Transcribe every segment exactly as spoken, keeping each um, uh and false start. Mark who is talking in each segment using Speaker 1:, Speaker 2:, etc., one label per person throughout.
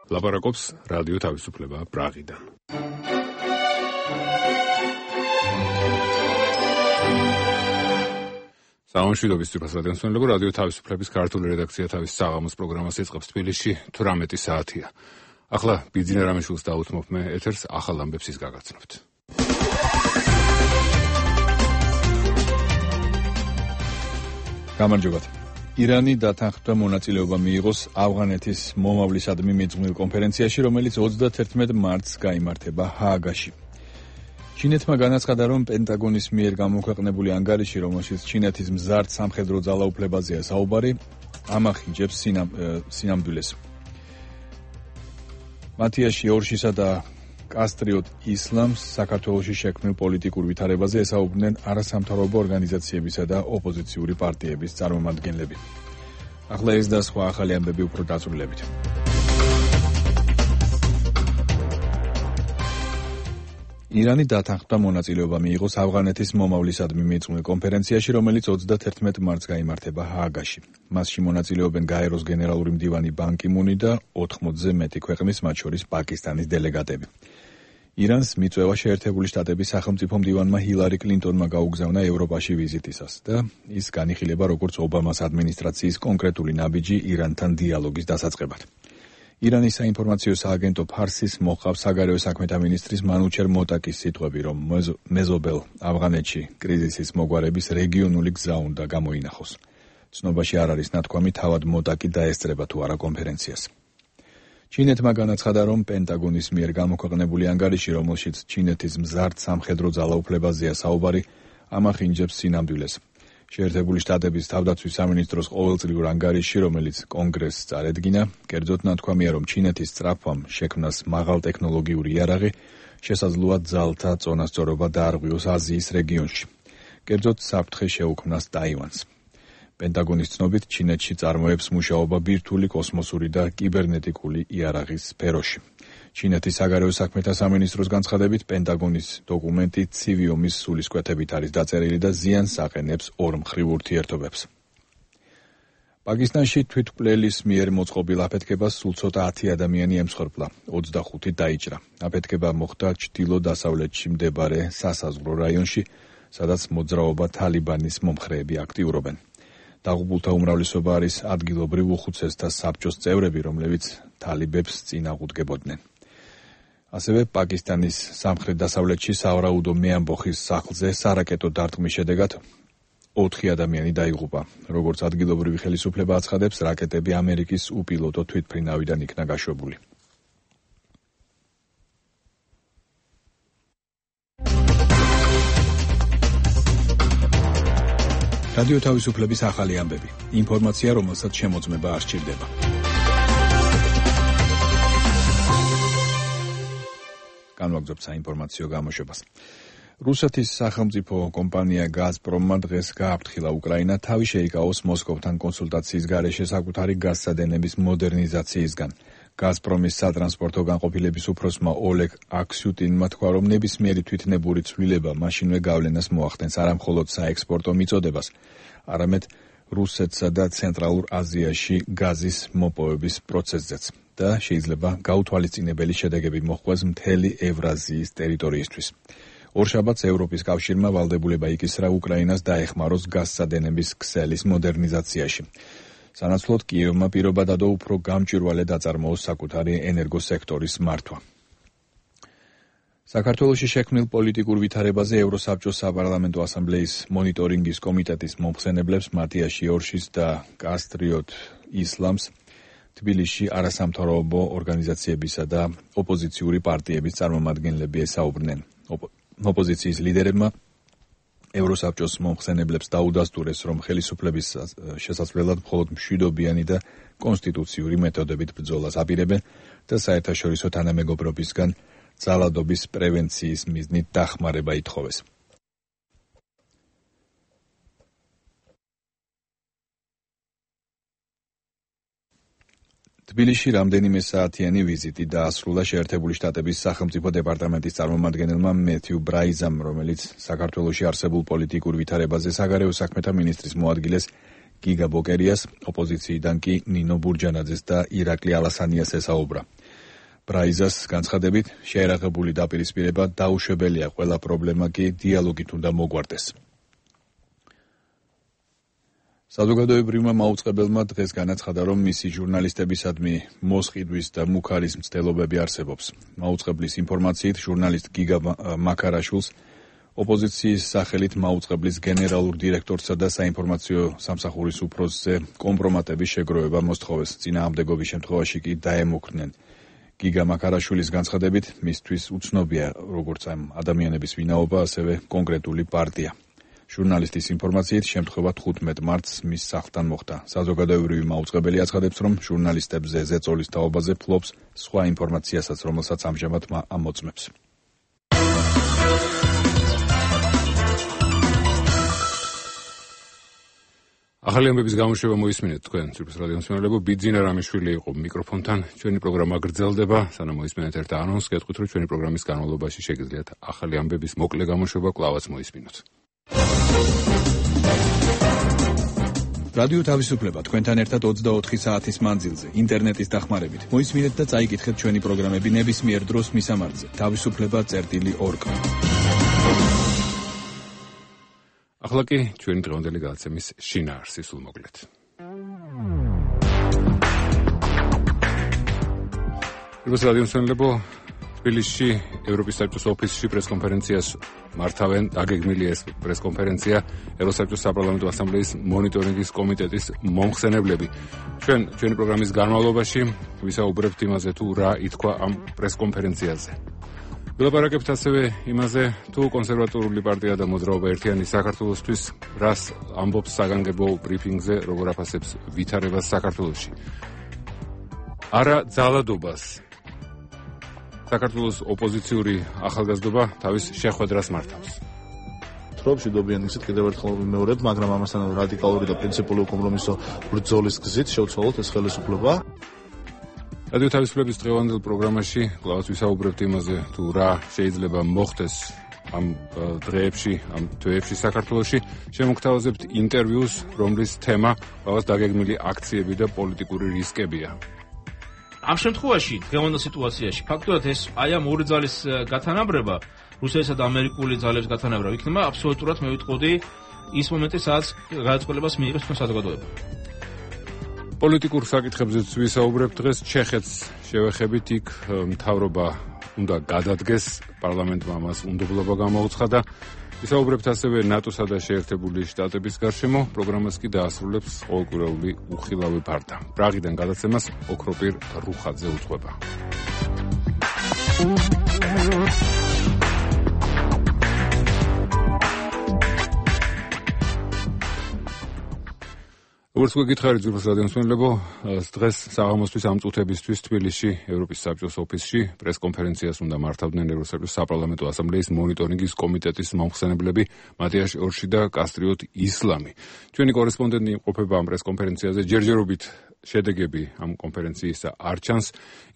Speaker 1: ლაპარაკობს რადიო თავისუფლება პრაღიდან. სამშვიდობის ციფრასადენსმენლებო, რადიო თავისუფლების ქართული რედაქცია თავის საღამოს პროგრამას იწყებს თბილისში თვრამეტი საათია. ახლა ბიძინა რამიშვილს დაუთმობ მე ეთერს ახალ ამბებს ის გაგაცნობთ.
Speaker 2: გამარჯობათ. ირანი დათანხმდა მონაწილეობა მიიღოს ავღანეთის მომავლისადმი მიძღვნილ კონფერენციაში, რომელიც ოცდათერთმეტ მარტს გაიმართება ჰააგაში. ჩინეთმა განაცხადა, რომ პენტაგონის მიერ გამოქვეყნებული ანგარიში, რომელშიც ჩინეთის მზარდ სამხედრო ძალაუფლებაზეა საუბარი, ამახინჯებს სინამ, სინამდვილეს. მათიაში ორშისა და კასტრიოტ ისლამს საქართველოში შექმნილ პოლიტიკურ ვითარებაზე ესაუბრნენ არასამთავრობო ორგანიზაციებისა და ოპოზიციური პარტიების წარმომადგენლები. ახლა ეს და სხვა ახალი ამბები უფრო დაწვრილებით. ირანი დათანხმდა მონაწილეობა მიიღოს ავღანეთის მომავლისადმი მიძღვნილ კონფერენციაში, რომელიც ოცდათერთმეტ მარტს გაიმართება ჰააგაში. მასში მონაწილეობენ გაეროს გენერალური მდივანი ბან კი მუნი და ოთხმოცზე მეტი ქვეყნის, მათ შორის პაკისტანის დელეგატები. ირანს მიწვევა შეერთებული შტატების სახელმწიფო მდივანმა ჰილარი კლინტონმა გაუგზავნა ევროპაში ვიზიტისას და ის განიხილება როგორც ობამას ადმინისტრაციის კონკრეტული ნაბიჯი ირანთან დიალოგის დასაწყებად. ირანის საინფორმაციო სააგენტო ფარსის მოყავს საგარეო საქმეთა მინისტრის მანუჩერ მოტაკის სიტყვები, რომ მეზობელ ავღანეთში კრიზისის მოგვარების რეგიონული გზა უნდა გამოინახოს. ცნობაში არ არის ნათქვამი, თავად მოტაკი დაესწრება თუ არა კონფერენციას. ჩინეთმა განაცხადა, რომ პენტაგონის მიერ გამოქვეყნებული ანგარიში, რომელშიც ჩინეთის მზარდ სამხედრო ძალაუფლებაზეა საუბარი, ამახინჯებს სინამდვილეს. შეერთებული შტატების თავდაცვის სამინისტროს ყოველწლიურ ანგარიში, რომელიც კონგრესს წარედგინა, კერძოდ ნათქვამია, რომ ჩინეთის სწრაფვამ შექმნას მაღალტექნოლოგიური იარაღი შესაძლოა ძალთა წონასწორობა დაარღვიოს აზიის რეგიონში. კერძოდ საფრთხე შეუქმნას ტაივანს. პენტაგონის ცნობით, ჩინეთში წარმოებს მუშაობა ბირთვული კოსმოსური და კიბერნეტიკული იარაღის სფეროში. ჩინეთის საგარეო საქმეთა სამინისტროს განცხადებით, პენტაგონის დოკუმენტი ცივი ომის სულისკვეთებით არის დაწერილი და ზიანს აყენებს ორმხრივ ურთიერთობებს. პაკისტანში თვითმკვლელის მიერ მოწყობილ აფეთქებას სულ ცოტა ათი ადამიანი ემსხვერპლა, ოცდახუთი დაიჭრა. აფეთქება მოხდა ჩრდილო-დასავლეთში მდებარე სასაზღვრო რაიონში, სადაც მოძრაობა თალიბანის მომხრეები აქტიურობენ. დაღუპულთა უმრავლესობა არის ადგილობრივ უხუცესთა საბჭოს წევრები, რომლებიც თალიბებს წინააღმდეგებოდნენ. ასევე პაკისტანის სამხრეთ-დასავლეთში სავარაუდო მეამბოხის სახლზე სარაკეტო დარტყმის შედეგად ოთხი ადამიანი დაიღუპა. როგორც ადგილობრივი ხელისუფლება აცხადებს, რაკეტები ამერიკის უპილოტო თვითმფრინავიდან იქნა გაშვებული. რადიო თავისუფლების ახალი ამბები. ინფორმაცია, რომელსაც შემოწმება არ სჭირდება. განვაგრძობთ საინფორმაციო გამოშვებას. რუსეთის სახელმწიფო კომპანია გაზპრომმა დღეს გააფრთხილა უკრაინა თავი შეიკავოს მოსკოვთან კონსულტაციის გარეშე საკუთარი გაზსადენების მოდერნიზაციისგან. გაზპრომის სატრანსპორტო განყოფილების უფროსმა ოლეგ აქსიუტინმა თქვა, რომ ნებისმიერი თვითნებური ცვლილება მაშინვე გავლენას მოახდენს არა მხოლოდ საექსპორტო მიწოდებას, არამედ რუსეთსა და ცენტრალურ აზიაში გაზის მოპოვების პროცესზეც და შეიძლება გაუთვალისწინებელი შედეგები მოჰყვეს მთელი ევრაზიის ტერიტორიისთვის. ორშაბათს ევროპის კავშირმა ვალდებულება იკისრა უკრაინას დაეხმაროს გაზსადენების ქსელის მოდერნიზაციაში. სანაცვლოდ კიევმა პირობა დადო უფრო გამჭვირვალედ აწარმოოს საკუთარი ენერგოსექტორის მართვა. საქართველოში შექმნილ პოლიტიკურ ვითარებაზე ევროსაბჭოს საპარლამენტო ასამბლეის მონიტორინგის კომიტეტის მომხსენებლებს მათიაში ორშის და კასტრიოტ ისლამს თბილისში არასამთავრობო ორგანიზაციებისა და ოპოზიციური პარტიების წარმომადგენლები ესაუბრნენ. ოპოზიციის ლიდერებმა ევროსაბჭოს მომხსენებლებს დაუდასტურეს, რომ ხელისუფლების შესაძლებლად მხოლოდ მშვიდობიანი და კონსტიტუციური მეთოდებით ბრძოლას აპირებენ და საერთაშორისო თანამეგობრობისგან ძალადობის პრევენციის მიზნით დახმარება ითხოვეს. თბილისში რამდენიმე საათიანი ვიზიტი დაასრულა შეერთებული შტატების სახელმწიფო დეპარტამენტის წარმომადგენელმა მეთიუ ბრაიზამ, რომელიც საქართველოში არსებულ პოლიტიკურ ვითარებაზე საგარეო საქმეთა მინისტრის მოადგილეს გიგა ბოკერიას, ოპოზიციიდან კი ნინო ბურჯანაძეს და ირაკლი ალასანიას ესაუბრა. ბრაიზას განცხადებით, შეერაღებული დაპირისპირება დაუშვებელია, ყველა პრობლემა კი დიალოგით უნდა მოგვარდეს. საზოგადოებრივმა მაუწყებელმა დღეს განაცხადა, რომ მისი ჟურნალისტებისადმი მოსყიდვის და მუქარის მცდელობები არსებობს. მაუწყებლის ინფორმაციით, ჟურნალისტ გიგა მაქარაშვილს ოპოზიციის სახელით მაუწყებლის გენერალურ დირექტორსა და საინფორმაციო სამსახურის უფროსზე კომპრომატების შეგროვება მოსთხოვეს. წინააღმდეგობის შემთხვევაში კი დაემუქრნენ. გიგა მაქარაშვილის განცხადებით, მისთვის უცნობია როგორც ამ ადამიანების ვინაობა, ასევე კონკრეტული პარტია. ჟურნალისტის ინფორმაციით, შემთხვევა თხუთმეტ მარტს მის სახლთან მოხდა. საზოგადოებრივი მაუწყებელი აცხადებს, რომ ჟურნალისტებზე ზეწოლის თაობაზე ფლობს სხვა ინფორმაციასაც, რომელსაც ამჟამად ამოწმებს.
Speaker 1: ახალი ამბების გამოშვება მოისმინეთ თქვენ ცურვის რადიოს მსმენელებო. ბიძინა რამიშვილი იყო მიკროფონთან. ჩვენი პროგრამა გრძელდება, სანამ მოისმინეთ ერთ ანონსს, გეტყვით, რომ ჩვენი პროგრამის განმავლობაში შეგიძლიათ ახალი ამბების მოკლე გამოშვება კვლავაც მოისმინოთ.
Speaker 2: რადიო თავისუფლება თქვენთან ერთად ოცდაოთხი საათის მანძილზე, ინტერნეტის დახმარებით. მოისმინეთ და წაიკითხეთ ჩვენი პროგრამები ნებისმიერ დროს მისამართზე. თავისუფლება წერტილი ორგ.
Speaker 1: ახლა კი ჩვენი დღევანდელი გადაცემის შინაარსი სულ მოკლედ. რუსეთის რადიოს მსმენელებო, თბილისში ევროპის საბჭოს ოფისში პრესკონფერენციას მართავენ. დაგეგმილია ეს პრესკონფერენცია ევროსაბჭოს საპარლამენტო ასამბლეის მონიტორინგის კომიტეტის მომხსენებლები. ჩვენ ჩვენი პროგრამის განმავლობაში ვისაუბრებთ იმაზე, თუ რა ითქვა ამ პრესკონფერენციაზე. ვილაპარაკებთ ასევე იმაზე, თუ კონსერვატორული პარტია და მოძრაობა ერთიანი საქართველოსთვის რას ამბობს საგანგებო ბრიფინგზე, როგორ აფასებს ვითარებას საქართველოში. არა ძალადობას. საქართველოს ოპოზიციური ახალგაზრდობა თავის შეხვედრას მართავს.
Speaker 3: თრობში დობიან ისეთ კიდევ ერთხელ ვიმეორებ, მაგრამ ამასთან რადიკალური და პრინციპული კომპრომისო ბრძოლის გზით შევცვალოთ ეს ხელისუფლება.
Speaker 1: რადიო თავისუფლების დღევანდელ პროგრამაში კვლავაც ვისაუბრებთ იმაზე, თუ რა შეიძლება მოხდეს ამ დღეებში, ამ თვეებში საქართველოში. შემოგთავაზებთ ინტერვიუს, რომლის თემა კვლავაც დაგეგმილი აქციები და პოლიტიკური რისკებია.
Speaker 4: ამ შემთხვევაში, დღევანდელ სიტუაციაში, ფაქტობრივად ეს აი ამ ორი ძალის გათანაბრება, რუსეთისა და ამერიკული ძალების გათანაბრება, იქნება აბსოლუტურად მე ვიტყოდი ის მომენტი, სადაც გადაწყვეტილებას მიიღებს თქვენ საზოგადოება.
Speaker 1: პოლიტიკურ საკითხებზეც ვისაუბრებთ დღეს. ჩეხეთს შევეხებით, იქ მთავრობა უნდა გადადგეს, პარლამენტმა მას უნდობლობა გამოუცხადა. ვისაუბრებთ ასევე ნატოსა და შეერთებული შტატების გარშემო. პროგრამას კი დაასრულებს ყოველკვირეული უხილავი ბარდა. პრაღიდან გადაცემას ოქროპირ რუხაძე უძღვება. როგორც გითხარით ზურგის რადიოს მსმენელებო, დღეს საღამოსთვის ამ წუთებისთვის თბილისში ევროპის საბჭოს ოფისში პრესკონფერენციას უნდა მართავდნენ ევროსაბჭოს საპარლამენტო ასამბლეის მონიტორინგის კომიტეტის მომხსენებლები მატიაშ ორში და კასტრიოტ ისლამი. ჩვენი კორესპონდენტი იმყოფება ამ პრესკონფერენციაზე. ჯერჯერობით შედეგები ამ კონფერენციისა არ ჩანს,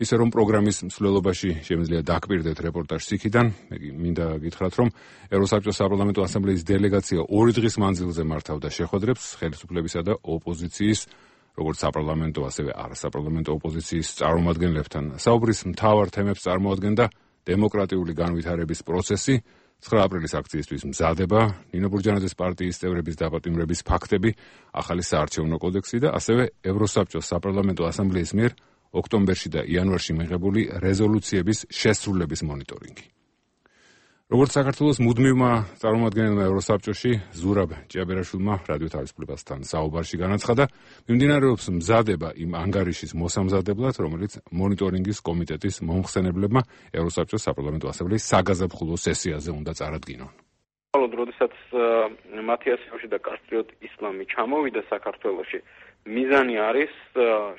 Speaker 1: ისე რომ პროგრამის მსვლელობაში შემიძლია დაკვირდეთ რეპორტაჟს იქიდან. მე მინდა გითხრათ, რომ ევროსაბჭოს საპარლამენტო ასამბლეის დელეგაცია ორი დღის მანძილზე მართავდა შეხვედრებს ხელისუფლებისა და ოპოზიციის, როგორც საპარლამენტო, ასევე არასაპარლამენტო ოპოზიციის წარმომადგენლებთან. საუბრის მთავარ თემებს წარმოადგენდა დემოკრატიული განვითარების პროცესი, ცხრა აპრილის აქციისთვის მზადება, ნინო ბურჯანაძის პარტიის წევრების დაპატიმრების ფაქტები, ახალი საარჩევნო კოდექსი და ასევე ევროსაბჭოს საპარლამენტო ასამბლეის მიერ ოქტომბერში და იანვარში მიღებული რეზოლუციების შესრულების მონიტორინგი. როგორც საქართველოს მუდმივმა წარმომადგენელმა ევროსაბჭოში ზურაბ ჭიაბერაშვილმა რადიო თავისუფლებასთან საუბარში განაცხადა, მიმდინარეობს მზადება იმ ანგარიშის მოსამზადებლად, რომელიც მონიტორინგის კომიტეტის მომხსენებლებმა ევროსაბჭოს საპარლამენტო ასამბლეის საგაზაფხულო სესიაზე უნდა წარადგინონ.
Speaker 5: როდესაც მათიას ორში და კასტრიოტ ისლამი ჩამოვიდა საქართველოში, მიზანი არის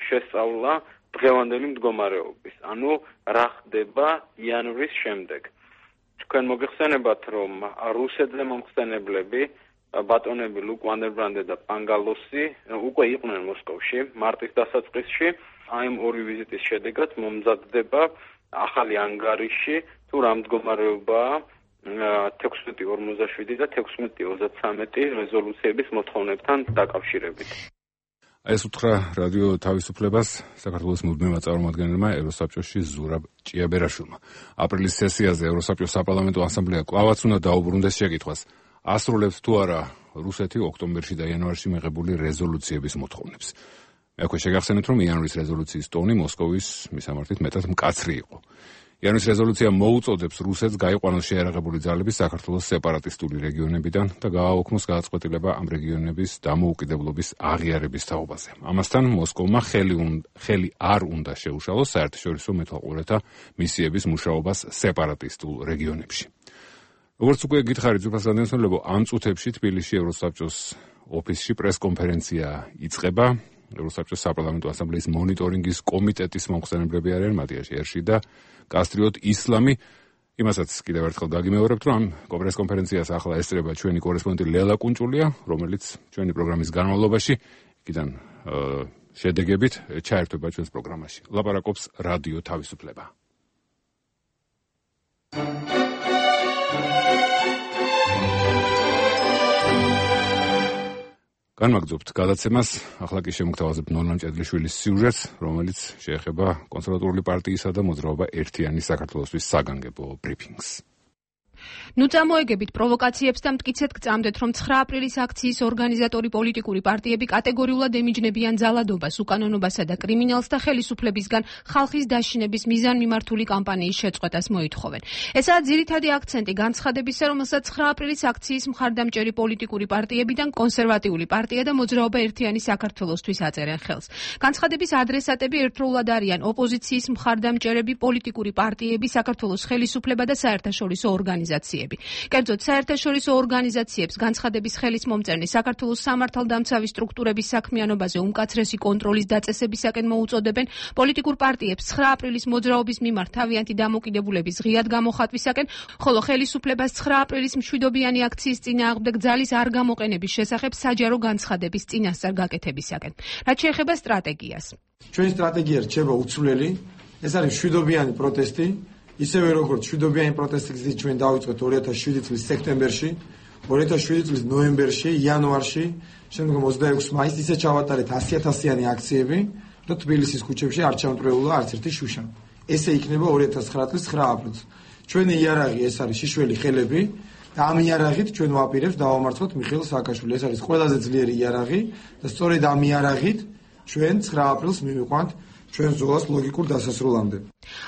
Speaker 5: შესწავლა დღევანდელი მდგომარეობის, ანუ რა ხდება იანვრის შემდეგ. თქვენ მოგეხსენებათ, რომ რუსეთზე მომხსენებლები ბატონები ლუკ ვანდერბრანდე და პანგალოსი უკვე იყვნენ მოსკოვში მარტის დასაწყისში. აი ამ ორი ვიზიტის შედეგად მომზადდება ახალი ანგარიში, თუ რა მდგომარეობაა თექვსმეტი ორმოცდაშვიდი და თექვსმეტი ოცდათრამეტი რეზოლუციების მოთხოვნებთან დაკავშირებით.
Speaker 1: ეს უთხრა რადიო თავისუფლებას საქართველოს მუდმივმა წარმომადგენელმა ევროსაბჭოში ზურაბ ჭიაბერაშვილმა. აპრილის სესიაზე ევროსაბჭოს საპარლამენტო ასამბლეა კვლავაც უნდა დაუბრუნდეს შეკითხვას. ასრულებს თუ არა რუსეთი ოქტომბერში და იანვარში მიღებული რეზოლუციების მოთხოვნებს. მე აქვე შეგახსენეთ, რომ იანვრის რეზოლუციის ტონი მოსკოვის მისამართით მეტად მკაცრი იყო. იანვრის რეზოლუცია მოუწოდებს რუსეთს გაიყვანოს შეიარაღებული ძალები საქართველოს სეპარატისტული რეგიონებიდან და გააოქმოს გადაწყვეტილება ამ რეგიონების დამოუკიდებლობის აღიარების თაობაზე. ამასთან მოსკოვმა ხელი, ხელი არ უნდა შეუშალოს საერთაშორისო მეთვალყურეთა მისიების მუშაობას სეპარატისტულ რეგიონებში. როგორც უკვე გითხარით, ძვირფას გადამცემლებო, ამ წუთებში თბილისში ევროსაბჭოს ოფისში პრესკონფერენცია იწყება. ევროსაბჭოს საპარლამენტო ასამბლეის მონიტორინგის კომიტეტის მომხსენებლები არიან მატიას ერში და კასტრიოტ ისლამი. იმასაც კიდევ ერთხელ გაგიმეორებთ, რომ ამ პრესკონფერენციას ახლა ესწრება ჩვენი კორესპონდენტი ლელა კუნჭულია, რომელიც ჩვენი პროგრამის განმავლობაში იქიდან შედეგებით ჩაერთვება ჩვენს პროგრამაში. ლაპარაკობს რადიო თავისუფლება. განვაგრძობთ გადაცემას, ახლა კი შემოგთავაზებთ ნორმა ჭედლიშვილის სიუჟეტს, რომელიც შეეხება კონსერვატიული პარტიისა და მოძრაობა ერთიანი საქართველოსთვის საგანგებო ბრიფინგს.
Speaker 6: ნუ წამოეგებით პროვოკაციებს და მტკიცედ გწამდეთ, რომ ცხრა აპრილის აქციის ორგანიზატორი პოლიტიკური პარტიები კატეგორიულად ემიჯნებიან ძალადობას, უკანონობასა და კრიმინალს და ხელისუფლებისგან ხალხის დაშინების მიზანმიმართული კამპანიის შეწყვეტას მოითხოვენ. ესაა ძირითადი აქცენტი განცხადებისა, რომელსაც ცხრა აპრილის აქციის მხარდამჭერი პოლიტიკური პარტიებიდან კონსერვატიული პარტია და მოძრაობა ერთიანი საქართველოსთვის აწერენ ხელს. განცხადების ადრესატები ერთდროულად არიან ოპოზიციის მხარდამჭერები, პოლიტიკური პარტიები, საქართველოს ხელისუფლება და საერთაშორისო ორგანიზაციები. კერძოდ, საერთაშორისო ორგანიზაციებს განცხადების ხელის მომწერნი საქართველოს სამართალდამცავი სტრუქტურების საქმიანობაზე უმკაცრესი კონტროლის დაწესებისაკენ მოუწოდებენ, პოლიტიკურ პარტიებს ცხრა აპრილის მოძრაობის მიმართ თავიანთი დამოკიდებულების ღიად გამოხატვისაკენ, ხოლო ხელისუფლებას ცხრა აპრილის მშვიდობიანი აქციის წინააღმდეგ ძალის არ გამოყენების შესახებ საჯარო განცხადების წინასწარ გაკეთებისაკენ. რაც შეეხება სტრატეგიას.
Speaker 7: ჩვენი სტრატეგია რჩება უცვლელი, ეს არის მშვიდობიანი პროტესტი. ისევე როგორც მშვიდობიანი პროტესტი ჩვენ დავიწყეთ ორი ათას შვიდი წლის სექტემბერში, ორი ათას შვიდი წლის ნოემბერში, იანვარში, შემდგომ ოცდაექვსი მაისს ისე ჩავატარეთ ასი ათასიანი აქციები და თბილისის ქუჩებში არ ჩამტრეულა არც ერთი შუშა. ესე იქნება ორი ათას ცხრა წლის ცხრა აპრილს. ჩვენი იარაღი ეს არის შიშველი ხელები და ამ იარაღით ჩვენ ვაპირებთ დავამარცხოთ მიხეილ სააკაშვილი. ეს არის ყველაზე ძლიერი იარაღი და სწორედ ამ იარაღით ჩვენ ცხრა აპრილს მივიყვანთ ჩვენ ზოლას ლოგიკურ დასასრულამდე.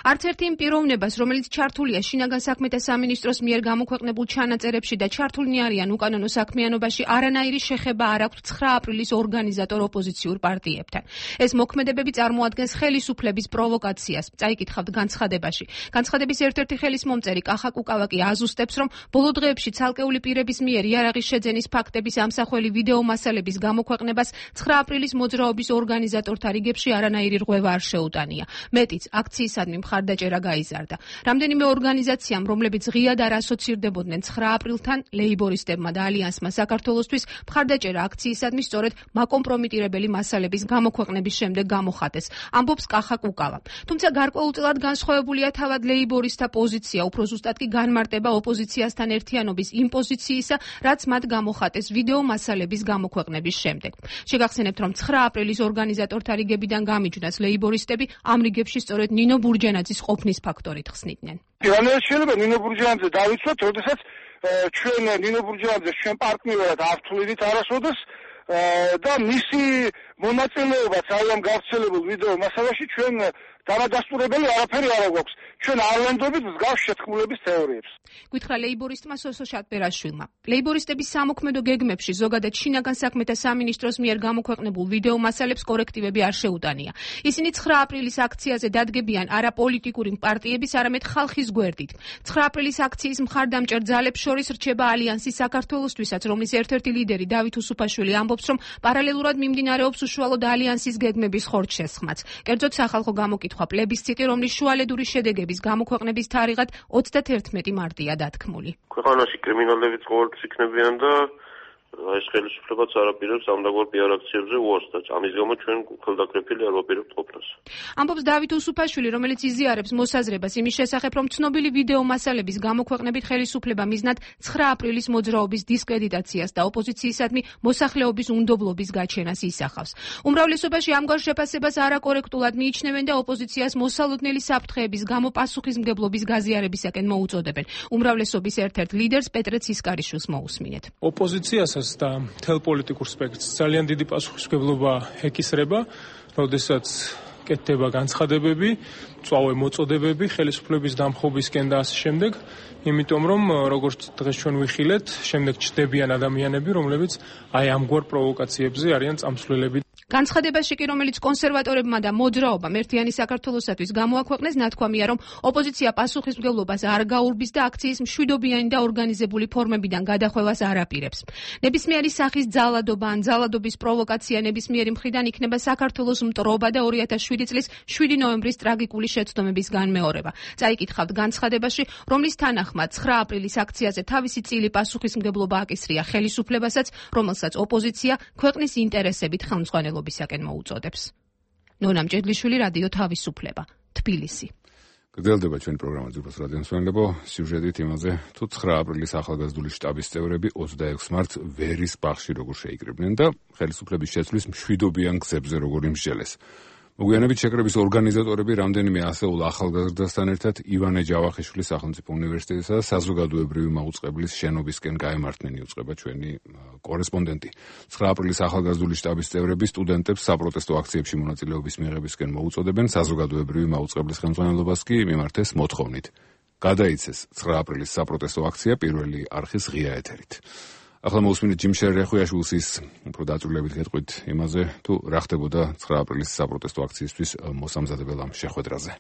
Speaker 6: არც ერთი იმ პიროვნებას, რომელიც ჩართულია შინაგან საქმეთა სამინისტროს მიერ გამოქვეყნებულ ჩანაწერებში და ჩართულნი არიან უკანონო საქმიანობაში, არანაირი შეხება არ აქვს ცხრა აპრილის ორგანიზატორ ოპოზიციურ პარტიებთან. ეს მოქმედებები წარმოადგენს ხელისუფლების პროვოკაციას. წაიკითხავთ განცხადებაში. განცხადების ერთ-ერთი ხელისმომწერი კახა კუკავაკი აზუსტებს, რომ ბოლო დღეებში ცალკეული პირების მიერ იარაღის შეძენის ფაქტების ამსახველი ვიდეო მასალების გამოქვეყნებას ცხრა აპრილის მოძრაობის ორგანიზატორთა რიგებში არანაირი რღვევა არ შეუტანია. მეტიც, აქციისადმი მხარდაჭერა გაიზარდა. რამდენიმე ორგანიზაციამ, რომლებიც ღიად არ ასოცირდებოდნენ ცხრა აპრილთან, ლეიბორისტებმა და ალიანსმა საქართველოსთვის მხარდაჭერა აქციისადმი სწორედ მაკომპრომიტირებელი მასალების გამოქვეყნების შემდეგ გამოხატეს, ამბობს კახა კუკავა. თუმცა გარკვეულწილად განსხვავებულია თავად ლეიბორისტთა პოზიცია, უფრო ზუსტად კი განმარტება ოპოზიციასთან ერთიანობის იმ პოზიციისა, რაც მათ გამოხატეს ვიდეო მასალების გამოქვეყნების შემდეგ. შეგახსენებთ, რომ ცხრა აპრილის ორგანიზატორთა რიგებიდან გამიჯვნას ლეიბორისტები ამ რიგებში სწორედ ნინო ბურჯანაძის ყოფნის ფაქტორით ხსნიდნენ.
Speaker 8: რანაირად შეიძლება ნინო ბურჯანაძე დავიცვათ, როდესაც ჩვენ ნინო ბურჯანაძეს ჩვენ პარტნიორად არ ვთვლიდით არასოდეს და მისი მონაწილეობაც აი ამ გავრცელებულ ვიდეო მასალაში ჩვენ დამადასტურებელი არაფერი არ აქვს. ჩვენ არ ვენდობით მსგავს შეთქმულების თეორიებს.
Speaker 6: გითხრა ლეიბორისტმა სოსო შატბერაშვილმა. ლეიბორისტების სამოქმედო გეგმებში ზოგადად შინაგან საქმეთა სამინისტროს მიერ გამოქვეყნებულ ვიდეო მასალებს კორექტივები არ შეუტანია. ისინი ცხრა აპრილის აქციაზე დადგებიან არა პოლიტიკური პარტიების, არამედ ხალხის გვერდით. ცხრა აპრილის აქციის მხარდამჭერ ძალებს შორის რჩება ალიანსი საქართველოსთვისაც, რომლის ერთ-ერთი ლიდერი დავით უსუფაშვილი ამბობს, რომ პარალელურად მიმდინარეობს უშუალოდ ალიანსის გეგმების ხორცშესხმაც. კერძოდ სახალხო გამოკითხვა პლებისციტი, რომლის შუალედური შედეგების გამოქვეყნების თარიღად ოცდათერთმეტი მარტია დათქმული.
Speaker 9: ქვეყანაში კრიმინალებიც ყოველთვის იქნებიან და ეს ხელისუფლებაც არაპირებს ამდაგარ პიარ აქციებზე უარს და ამის გამო ჩვენ ხელდაკრეფილი არ ვაპირებთ ყოფნას.
Speaker 6: ამბობს დავით უსუფაშვილი, რომელიც იზიარებს მოსაზრებას იმის შესახებ, რომ ცნობილი ვიდეო მასალების გამოქვეყნებით ხელისუფლება მიზნად ცხრა აპრილის მოძრაობის დისკრედიტაციას და ოპოზიციისადმი მოსახლეობის უნდობლობის გაჩენას ისახავს. უმრავლესობაში ამგვარ შეფასებას არაკორექტულად მიიჩნევენ და ოპოზიციას მოსალოდნელი საფრთხეების გამო პასუხისმგებლობის გაზიარებისაკენ მოუწოდებენ. უმრავლესობის ერთ-ერთ ლიდერს პეტრე ცისკარიშვილს მოусმინეთ.
Speaker 10: ოპოზიციასაც და მთელ პოლიტიკურ სპექტრს ძალიან დიდი პასუხისმგებლობა ეკისრება, როდესაც კეთდება განცხადებები, წვავე მოწოდებები, ხელისუფლების დამხობისკენ და ასე შემდეგ, იმიტომ რომ როგორც დღეს ჩვენ ვიხილეთ, შემდეგ ჩნდებიან ადამიანები, რომლებიც აი ამგვარ პროვოკაციებზე არიან წამსვლელები.
Speaker 6: განცხადებაში კი, რომელიც კონსერვატორებმა და მოძრაობამ ერთიანი საქართველოსათვის გამოაქვეყნეს, ნათქვამია, რომ ოპოზიცია პასუხისმგებლობას არ გაურბის და აქციის მშვიდობიანი და ორგანიზებული ფორმებიდან გადახვევას არ აპირებს. ნებისმიერი სახის ძალადობა ან ძალადობის პროვოკაცია ნებისმიერი მხრიდან იქნება საქართველოს მტრობა და ორი ათას შვიდი წლის შვიდი ნოემბრის ტრაგიკული შეცდომების განმეორება. წაიკითხავთ განცხადებაში, რომლის თანახმად ცხრა აპრილის აქციაზე თავისი წილი პასუხისმგებლობა აკისრია ხელისუფლებასაც, რომელსაც ოპოზიცია ქვეყნის ინტერესებით ხელმძღვანელობისაკენ მოუწოდებს. ნონა მჭედლიშვილი, რადიო თავისუფლება, თბილისი.
Speaker 1: გრძელდება ჩვენი პროგრამა ძვირფას რადიო მსმენელებო, სიუჟეტით იმაზე, თუ ცხრა აპრილის ახალგაზრდული შტაბის წევრები ოცდაექვსი მარტს ვერის ბაღში როგორ შეიკრიბნენ და ხელისუფლების შეცვლის მშვიდობიან გზებზე როგორ იმსჯელეს. მოგვიანებით შეკრების ორგანიზატორები რამდენიმე ასეულ ახალგაზრდასთან ერთად ივანე ჯავახიშვილის სახელმწიფო უნივერსიტეტისა და საზოგადოებრივი მაუწყებლის შენობისკენ გაემართნენ, იუწყება ჩვენი კორესპონდენტი. ცხრა აპრილის ახალგაზრდული შტაბის წევრები სტუდენტებს საპროტესტო აქციებში მონაწილეობის მიღებისკენ მოუწოდებენ, საზოგადოებრივი მაუწყებლის ხელმძღვანელობას კი მიმართეს მოთხოვნით. გადაიცეს ცხრა აპრილის საპროტესტო აქცია პირველი არხის ღია ეთერით. ახლა მოусმინეთ ჯიმშერ რეხვიაშვილის უფრო დაწვრილებით გეტყვით იმაზე, თუ რა ხდებოდა ცხრა აპრილის საპროტესტო აქციისთვის მოსამზადებელ ამ შეხვედრაზე.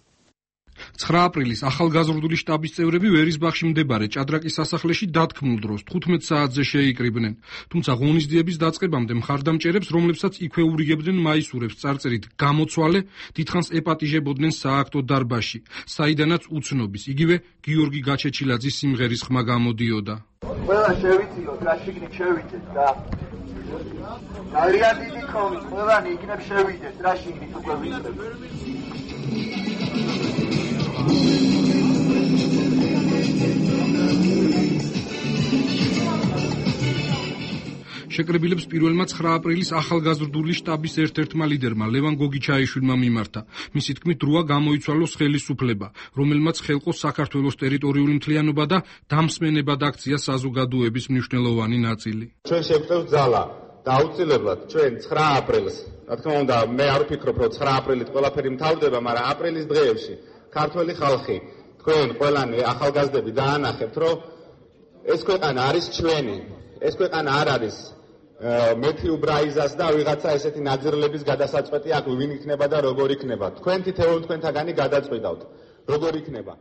Speaker 11: ცხრა აპრილის ახალგაზრდული შტაბის წევრები ვერის ბაღში მდებარე ჭადრაკის სასახლეში დათქმულ დროს თხუთმეტ საათზე შეიკრიბნენ. თუმცა ღონისძიების დაწყებამდე მხარდამჭერებს, რომლებსაც იქვე ურიგებდნენ მაისურებს წარწერით გამოცვალე, დიდხანს ეპატიჟებოდნენ სააქტო დარბაზში, საიდანაც უცნობის, იგივე გიორგი გაჩეჩილაძის სიმღერის ხმა გამოდიოდა.
Speaker 12: ყველა შევიწიოთ, რა შიგნით შევიდეთ და ძალიან დიდი ქონი, ყველანი იქნებ შევიდეთ, რა შიგნით უკვე ვიწრებ.
Speaker 11: შეკრებილებს პირველმა ცხრა აპრილის ახალგაზრდული შტაბის ერთ-ერთმა ლიდერმა ლევან გოგიჩაიშვილმა მიმართა. მისი თქმით, დროა გამოიცვალოს ხელისუფლება, რომელმაც ხელყო საქართველოს ტერიტორიული მთლიანობა და დამსმენებად აქცია საზოგადოების მნიშვნელოვანი ნაწილი.
Speaker 13: ჩვენ შევწევთ ძალა და აუცილებლად ჩვენ ცხრა აპრილს, რა თქმა უნდა, მე არ ვფიქრობ, რომ ცხრა აპრილით ყველაფერი მთავრდება, მაგრამ აპრილის დღეებში ქართველი ხალხი, თქვენ ყველანი ახალგაზრდები დაანახებთ, რომ ეს ქვეყანა არის ჩვენი, ეს ქვეყანა არ არის მეთიუ ბრაიზას და ვიღაცა ესეთი ნაძრლების გადასაწყვეტი აქ ვინ იქნება და როგორ იქნება. თქვენ თითოეულ თქვენთაგანი გადაწყვეტავთ, როგორ იქნება.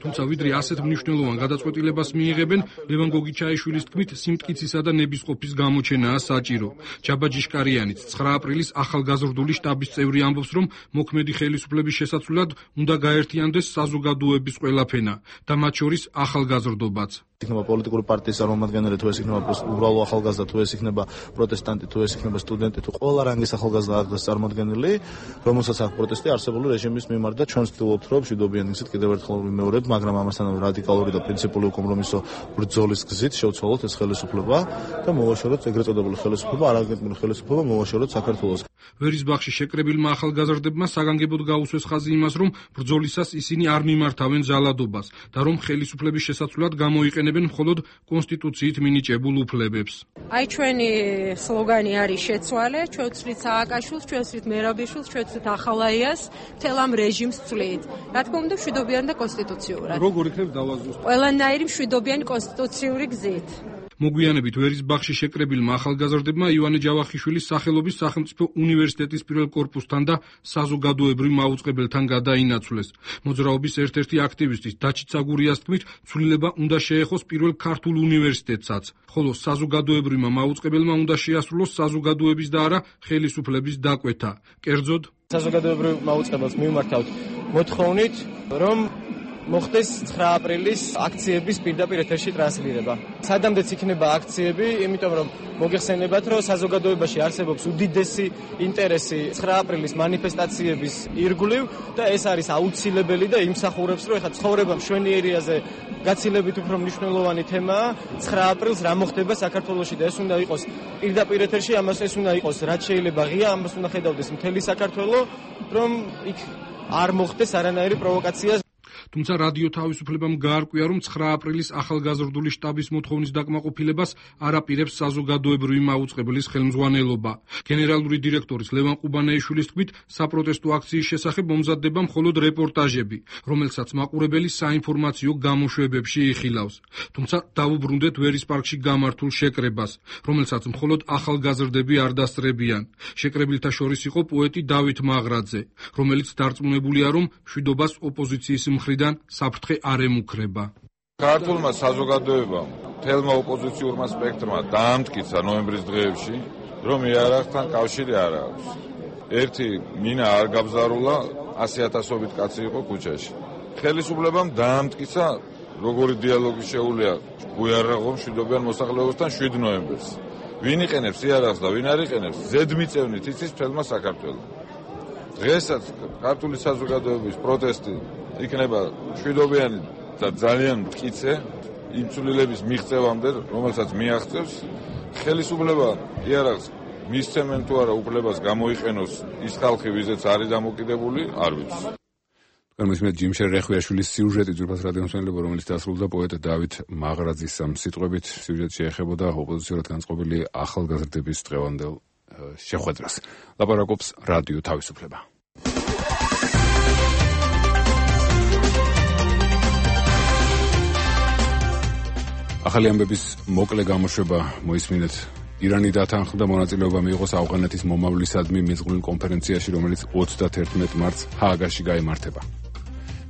Speaker 11: თუმცა ვიდრე ასეთ მნიშვნელოვან გადაწყვეტილებას მიიღებენ, ლევან გოგიჩაიშვილის თქმით, სიმტკიცისა და ნებისყოფის გამოჩენაა საჭირო. ჯაბა ჯიშკარიანიც ცხრა აპრილის ახალგაზრდული შტაბის წევრი ამბობს, რომ მოქმედი ხელისუფლების შესაცვლად უნდა გაერთიანდეს საზოგადოების ყველა ფენა და მათ შორის ახალგაზრდობაც.
Speaker 3: იქნება პოლიტიკური პარტიის წარმომადგენელი, თუ ეს იქნება უბრალო ახალგაზრდა, თუ ეს იქნება პროტესტანტი, თუ ეს იქნება სტუდენტი, თუ ყველა რანგის ახალგაზრდა არის წარმომადგენელი, რომელსაც აქვს პროტესტი არსებული რეჟიმის მიმართ და ჩვენ ვცდილობთ, რომ მშვიდობიანი გზით კიდევ ერთხელ ვიმეორებთ, მაგრამ ამასთან რადიკალური და პრინციპული კომპრომისო ბრძოლის გზით შევცვალოთ ეს ხელისუფლება და მოვაშოროთ ეგრეთ წოდებული ხელისუფლება, არაგენტული ხელისუფლება მოვაშოროთ საქართველოს.
Speaker 11: ვერის ბაღში შეკრებილმა ახალგაზრდებმა საგანგებოდ გაუსვეს ხაზი იმას, რომ ბრძოლისას ისინი არ მიმართავენ ძალადობას და რომ ხელისუფლების შესაცვლად გამოიყენებენ მხოლოდ კონსტიტუციით მინიჭებულ უფლებებს.
Speaker 14: აი ჩვენი სლოგანი არის შეცვალე, ჩვენ ვცვლით სააკაშვილს, ჩვენ ვცვლით მერაბიშვილს, ჩვენ ვცვლით ახალაიას, მთელ ამ რეჟიმს ვცვლით. რა თქმა უნდა, მშვიდობიანი და კონსტიტუციურად.
Speaker 11: როგორ იქნებ დავაზუსტოთ?
Speaker 14: ყველანაირი მშვიდობიანი კონსტიტუციური გზით.
Speaker 11: მოგვიანებით ვერის ბაღში შეკრებილმა ახალგაზრდებმა ივანე ჯავახიშვილის სახელობის სახელმწიფო უნივერსიტეტის პირველ კორპუსთან და საზოგადოებრივ მაუწყებელთან გადაინაცვლეს. მოძრაობის ერთ-ერთი აქტივისტის დაჩით საგურიას თქმით, ცვლილება უნდა შეეხოს პირველ ქართულ უნივერსიტეტსაც, ხოლო საზოგადოებრივმა მაუწყებელმა უნდა შეასრულოს საზოგადოების და არა ხელისუფლების დაკვეთა. კერძოდ,
Speaker 10: საზოგადოებრივ მაუწყებელს მივმართავთ მოთხოვნით, რომ
Speaker 15: მოხდეს ცხრა აპრილის აქციების პირდაპირ ეთერში ტრანსლირება. სადამდეც იქნება აქციები, იმიტომ რომ მოგეხსენებათ, რომ საზოგადოებაში არსებობს უდიდესი ინტერესი ცხრა აპრილის მანიფესტაციების ირგვლივ და ეს არის აუცილებელი და იმსახურებს, რომ ეხლა ცხოვრება მშვენიერიაზე გაცილებით უფრო მნიშვნელოვანი თემაა. ცხრა აპრილს რა მოხდება საქართველოში და ეს უნდა იყოს პირდაპირ ეთერში, ამას ეს უნდა იყოს რაც შეიძლება ღია, ამას უნდა ხედავდეს მთელი საქართველო, რომ იქ არ მოხდეს არანაირი პროვოკაცია.
Speaker 11: თუმცა რადიო თავისუფლებამ გაარკვია, რომ ცხრა აპრილის ახალგაზრდული შტაბის მოთხოვნის დაკმაყოფილებას არ აპირებს საზოგადოებრივი მაუწყებლის ხელმძღვანელობა. გენერალური დირექტორის ლევან ყუბანეიშვილის თქმით, საპროტესტო აქციის შესახებ მომზადდება მხოლოდ რეპორტაჟები, რომელსაც მაყურებელი საინფორმაციო გამოშვებებში იხილავს. თუმცა დავუბრუნდეთ ვერის პარკში გამართულ შეკრებას, რომელსაც მხოლოდ ახალგაზრდები არ დასწრებიან. შეკრებილთა შორის იყო პოეტი დავით მაღრაძე, რომელიც დარწმუნებულია, რომ მშვიდობას ოპოზიციის მხრიდან საფრთხე არ ემუქრება.
Speaker 16: ქართულმა საზოგადოებამ, მთელმა ოპოზიციურმა სპექტრმა დაამტკიცა ნოემბრის დღეებში, რომ იარაღთან კავშირი არ აქვს. ერთი მინა არ გაბზარულა, ასი ათასობით კაცი იყო ქუჩაში. ხელისუფლებამ დაამტკიცა, როგორი დიალოგი შეუძლია უიარაღო მშვიდობიან მოსახლეობასთან შვიდ ნოემბერს. ვინ იყენებს იარაღს და ვინ არ იყენებს, ზედმიწევნით იცის მთელმა საქართველოს. დღესაც ქართული საზოგადოების პროტესტი იქნება მშვიდობიანი და ძალიან მტკიცე იმ ცვლილების მიღწევამდე, რომელსაც მიაღწევს ხელისუფლება იარაღს მისცემენ თუ არა უფლებას გამოიყენოს ის ხალხი, ვიზეც არის დამოკიდებული, არ ვიცი.
Speaker 1: განმისმეთ ჯიმშერ რეხვიაშვილის სიუჟეტი ძვირფას რადიომსმენელებო, რომელიც დასრულდა პოეტ დავით მაღრაძის ამ სიტყვებით. სიუჟეტი შეეხებოდა ოპოზიციურად განწყობილი ახალგაზრდების დღევანდელ შეხვედრას. ლაპარაკობს რადიო თავისუფლება. ახალი ამბების მოკლე გამოშვება მოისმინეთ. ირანი დათანხმდა მონაწილეობა მიიღოს ავღანეთის მომავლისადმი მეწყვილ კონფერენციაში, რომელიც ოცდათერთმეტ მარტს ჰააგაში გაიმართება.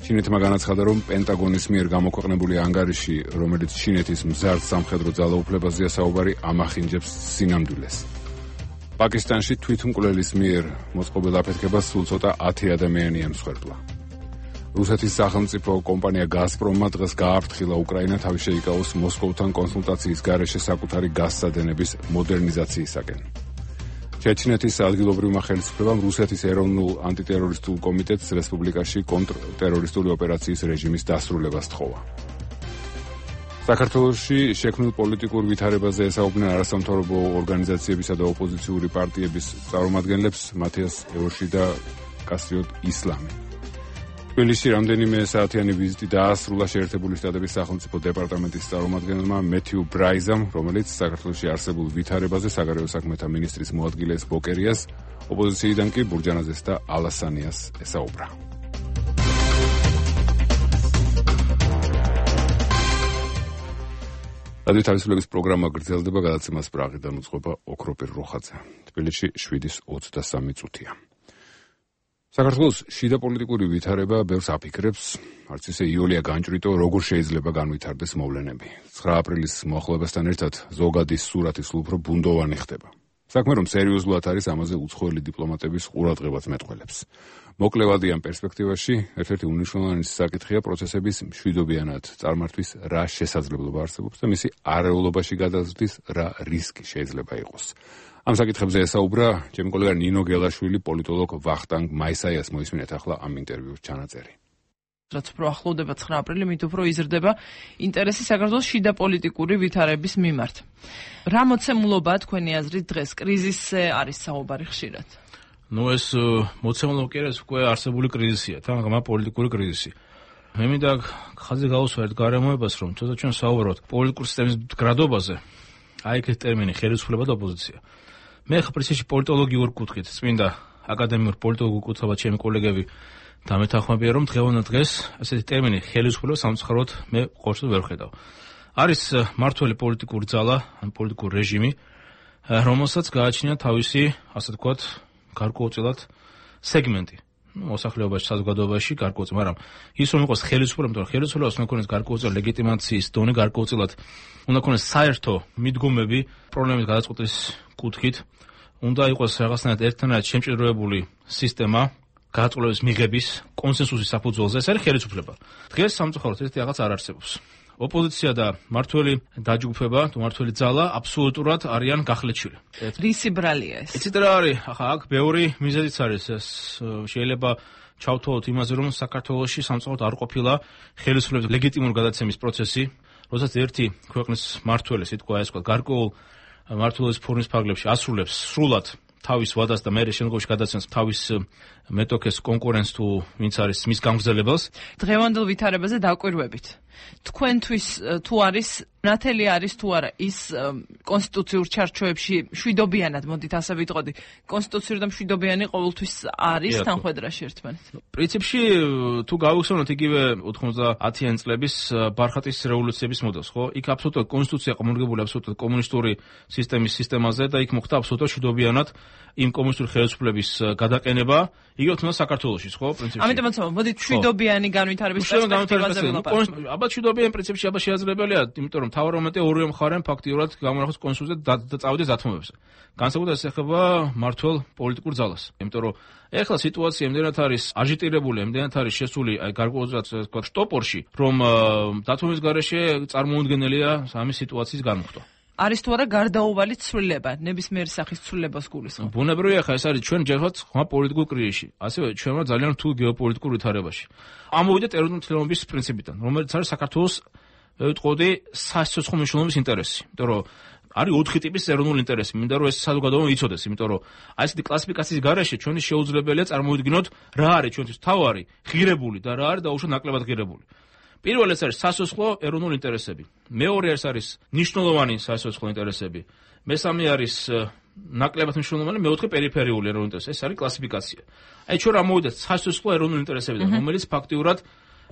Speaker 1: ჩინეთმა განაცხადა, რომ პენტაგონის მიერ გამოქვეყნებული ანგარიში, რომელიც ჩინეთის მზარდ სამხედრო ძალაუფლებაზეა საუბარი, ამახინჯებს სინამდვილეს. პაკისტანში თვითმკვლელის მიერ მოწყობილ აფეთქებას სულ ცოტა ათი ადამიანი ემსხვერპლა. რუსეთის სახელმწიფო კომპანია გაზპრომმა დღეს გააფრთხილა უკრაინა თავის შეიკავოს მოსკოვთან კონსულტაციის გარეშე საკუთარი გაზსადენების მოდერნიზაციისაკენ. ჩეჩნეთის ადგილობრივმა ხელისუფლებამ რუსეთის ეროვნულ ანტიტერორისტულ კომიტეტს რესპუბლიკაში კონტრტერორისტული ოპერაციის რეჟიმის დასრულებას თხოვა. საქართველოში შექმნილ პოლიტიკურ ვითარებაზე ესაუბრნენ არასამთავრობო ორგანიზაციებისა და ოპოზიციური პარტიების წარმომადგენლებს მათიას ევოში და კასრიოტ ისლამი. თბილისში რამდენიმე საათიანი ვიზიტი დაასრულა შეერთებული შტატების სახელმწიფო დეპარტამენტის წარმომადგენელმა მეთიუ ბრაიზამ, რომელიც საქართველოში არსებულ ვითარებაზე საგარეო საქმეთა მინისტრის მოადგილეს ბოკერიას, ოპოზიციიდან კი ბურჯანაძეს და ალასანიას ესაუბრა. რადიო თავისუფლების პროგრამა გრძელდება, გადაცემას პრაღიდან უძღვება ოქროპირ როხაძე. თბილისში შვიდის ოცდასამი წუთია. საქართველოს შიდა პოლიტიკური ვითარება ბევრს აფიქრებს, არც ისე იოლია განჭვრიტო, როგორ შეიძლება განვითარდეს მოვლენები. ცხრა აპრილის მოახლოებასთან ერთად ზოგადის სურათი სულ უფრო ბუნდოვანი ხდება. საქმე რომ სერიოზულად არის, ამაზე უცხოელი დიპლომატების ყურადღებაც მეტყველებს. მოკლევადი ამ პერსპექტივაში ერთ-ერთი უნიშნულოვანესი საკითხია პროცესების მშვიდობიანად წარმართვის რა შესაძლებლობა არსებობს და მისი არეულობაში გადაზრდის რა რისკი შეიძლება იყოს. ამ საკითხებზე ესაუბრა ჩემი კოლეგა ნინო გელაშვილი, პოლიტოლოგ ვახტანგ მაისაიას. მოისმინეთ ახლა ამ ინტერვიუს ჩანაწერი.
Speaker 17: რაც უფრო ახლოვდება ცხრა აპრილი, მით უფრო იზრდება ინტერესი საქართველოს შიდა პოლიტიკური ვითარების მიმართ. რა მოცემულობაა თქვენი აზრით დღეს? კრიზისზე არის საუბარი ხშირად.
Speaker 4: ნუ ეს მოცემულობა კი არის, უკვე არსებული კრიზისია, თამაღმა პოლიტიკური კრიზისი. მე მინდა ხაზი გავუსვათ გარემოებას, რომ ცოტა ჩვენ საუბრობთ პოლიტიკური სისტემის მდგრადობაზე. აი ეს ტერმინი ხელისუფლება და ოპოზიცია. მე ხა პრინციპში პოლიტოლოგიურ კუთხით, წმინდა აკადემიურ პოლიტოლოგიურ კუთხით ჩემი კოლეგები დამეთანხმებიან, რომ დღევანდელ დღეს ასეთი ტერმინი ხელისუფლება სამწუხაროდ მე ყურს ვერ ხედავ. არის მართველი პოლიტიკური ძალა, ან პოლიტიკური რეჟიმი, რომელსაც გააჩნია თავისი, ასე ვთქვათ, გარკვეულწილად სეგმენტი. მოსახლეობაში, საზოგადოებაში გარკვეულწილად, მაგრამ ის რომ იყოს ხელისუფლება, იმიტომ რომ ხელისუფლებას უნდა ქონდეს გარკვეულწილად ლეგიტიმაციის დონე, გარკვეულწილად უნდა ქონდეს საერთო მიდგომები პრობლემის გადაწყვეტის კუთხით, უნდა იყოს რაღაცნაირად ერთთანაირად შემჭიდროებული სისტემა, გადაწყვეტილების მიღების კონსენსუსის საფუძველზე, ეს არის ხელისუფლება. დღეს სამწუხაროდ ესეთი რაღაც არ არსებობს. ოპოზიცია და მართველი დაჯგუფება, თუ მართველი ძალა აბსოლუტურად არიან გახლეჩილი.
Speaker 17: რისი ბრალია ეს?
Speaker 4: იცით რა არის? ახლა აქ ბევრი მიზეზიც არის. ეს შეიძლება ჩავთვალოთ იმაზე, რომ საქართველოში სამწუხაროდ არ ყოფილა ხელისუფლების ლეგიტიმური გადაცემის პროცესი, როდესაც ერთი ქვეყნის მართველი, სიტყვა ეს ვთქვათ, გარკვეულ მმართველობის ფორმის ფარგლებში ასრულებს სრულად თავის ვადას და მერე შემდგომში გადაცემს თავის მეტოქეს კონკურენტს თუ ვინც არის მის გამგზავრებელს.
Speaker 17: დღევანდელ ვითარებაზე დაკვირვებით. თქვენთვის თუ არის ნათელი არის თუ არა ის კონსტიტუციურ ჩარჩოებში შვიდობიანად, მოდით ასე ვიტყოდი, კონსტიტუციური და მშვიდობიანი ყოველთვის არის თანხმედრაში ერთმანეთს.
Speaker 4: პრინციპში თუ გავიხსენოთ იგივე ოთხმოცდაათიანი წლების ბარხატის რევოლუციების მოდელს, ხო? იქ აბსოლუტურად კონსტიტუცია გამორგებული აბსოლუტურად კომუნისტური სისტემის სისტემაზე და იქ მოხდა აბსოლუტურად შვიდობიანად იმ კომუნისტური ხელისუფლების გადაყენება, იგივე თუნდაც საქართველოშიც, ხო, პრინციპში.
Speaker 17: ამიტომაც მოდით შვიდობიანი განვითარების პერსპექტივაზე ვილაპარაკოთ.
Speaker 4: აბა შვიდობიანი პრინციპში აბა შესაძლებელია, იმიტომ რომ მთავარ მომენტზე ორივე მხარე ფაქტიურად გამონახოს კონსულზე და წავიდეს დათმობებზე. განსაკუთრებით ეს ეხება მმართველ პოლიტიკურ ძალას. იმიტომ რომ ეხლა სიტუაცია იმდენად არის აჟიტირებული, იმდენად არის შესული აი გარკვეულწილად თქვა შტოპორში, რომ დათმობის გარეშე წარმოუდგენელია ამის სიტუაციის განმხტვა.
Speaker 17: არის თუ არა გარდაუვალი ცვლილება, ნებისმიერი სახის ცვლილებას გულისხმობ.
Speaker 4: ბუნებრივია ხა ეს არის ჩვენ ჯერხოთ ხმა პოლიტიკურ კრიზისში, ასევე ჩვენმა ძალიან რთულ გეოპოლიტიკურ ვითარებაში. ამოვიდეთ ეროვნული მთლიანობის პრინციპიდან, რომელიც არის საქართველოს ვიტყოდი სასიცოცხლო მნიშვნელობის ინტერესი. იმიტომ რომ არის ოთხი ტიპის ეროვნული ინტერესი, მინდა რომ ეს საზოგადოება იცოდეს, იმიტომ რომ აი ესეთი კლასიფიკაციის გარეშე ჩვენი შეუძლებელია წარმოვიდგინოთ რა არის ჩვენთვის თავარი, ღირებული და რა არის დაუშვათ ნაკლებად ღირებული. პირველი ეს არის სასიცოცხლო ეროვნული ინტერესები. მეორე ეს არის ნიშნულოვანი სასიცოცხლო ინტერესები. მესამე არის ნაკლებად მნიშვნელოვანი, მეოთხე პერიფერიული ეროვნული ინტერესები. ეს არის კლასიფიკაცია. აი ჩვენ ამოვიდეთ სასიცოცხლო ეროვნული ინტერესებიდან, რომელიც ფაქტიურად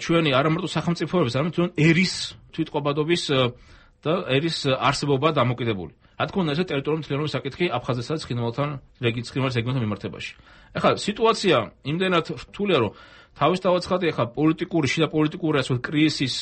Speaker 4: ჩვენი არა მარტო სახელმწიფოების, არამედ ჩვენ ერის თვითყოფადობის და ერის არსებობა დამოკიდებული. რა თქმა უნდა, ეს ტერიტორიული მთლიანობის საკითხი აფხაზეთსა და ცხინვალთან რეგიონის რეგიონთან მიმართებაში. ეხლა სიტუაცია იმდენად რთულია, რომ თავის დავაცხადე ახლა პოლიტიკური, შიდა პოლიტიკური ასე კრიზისის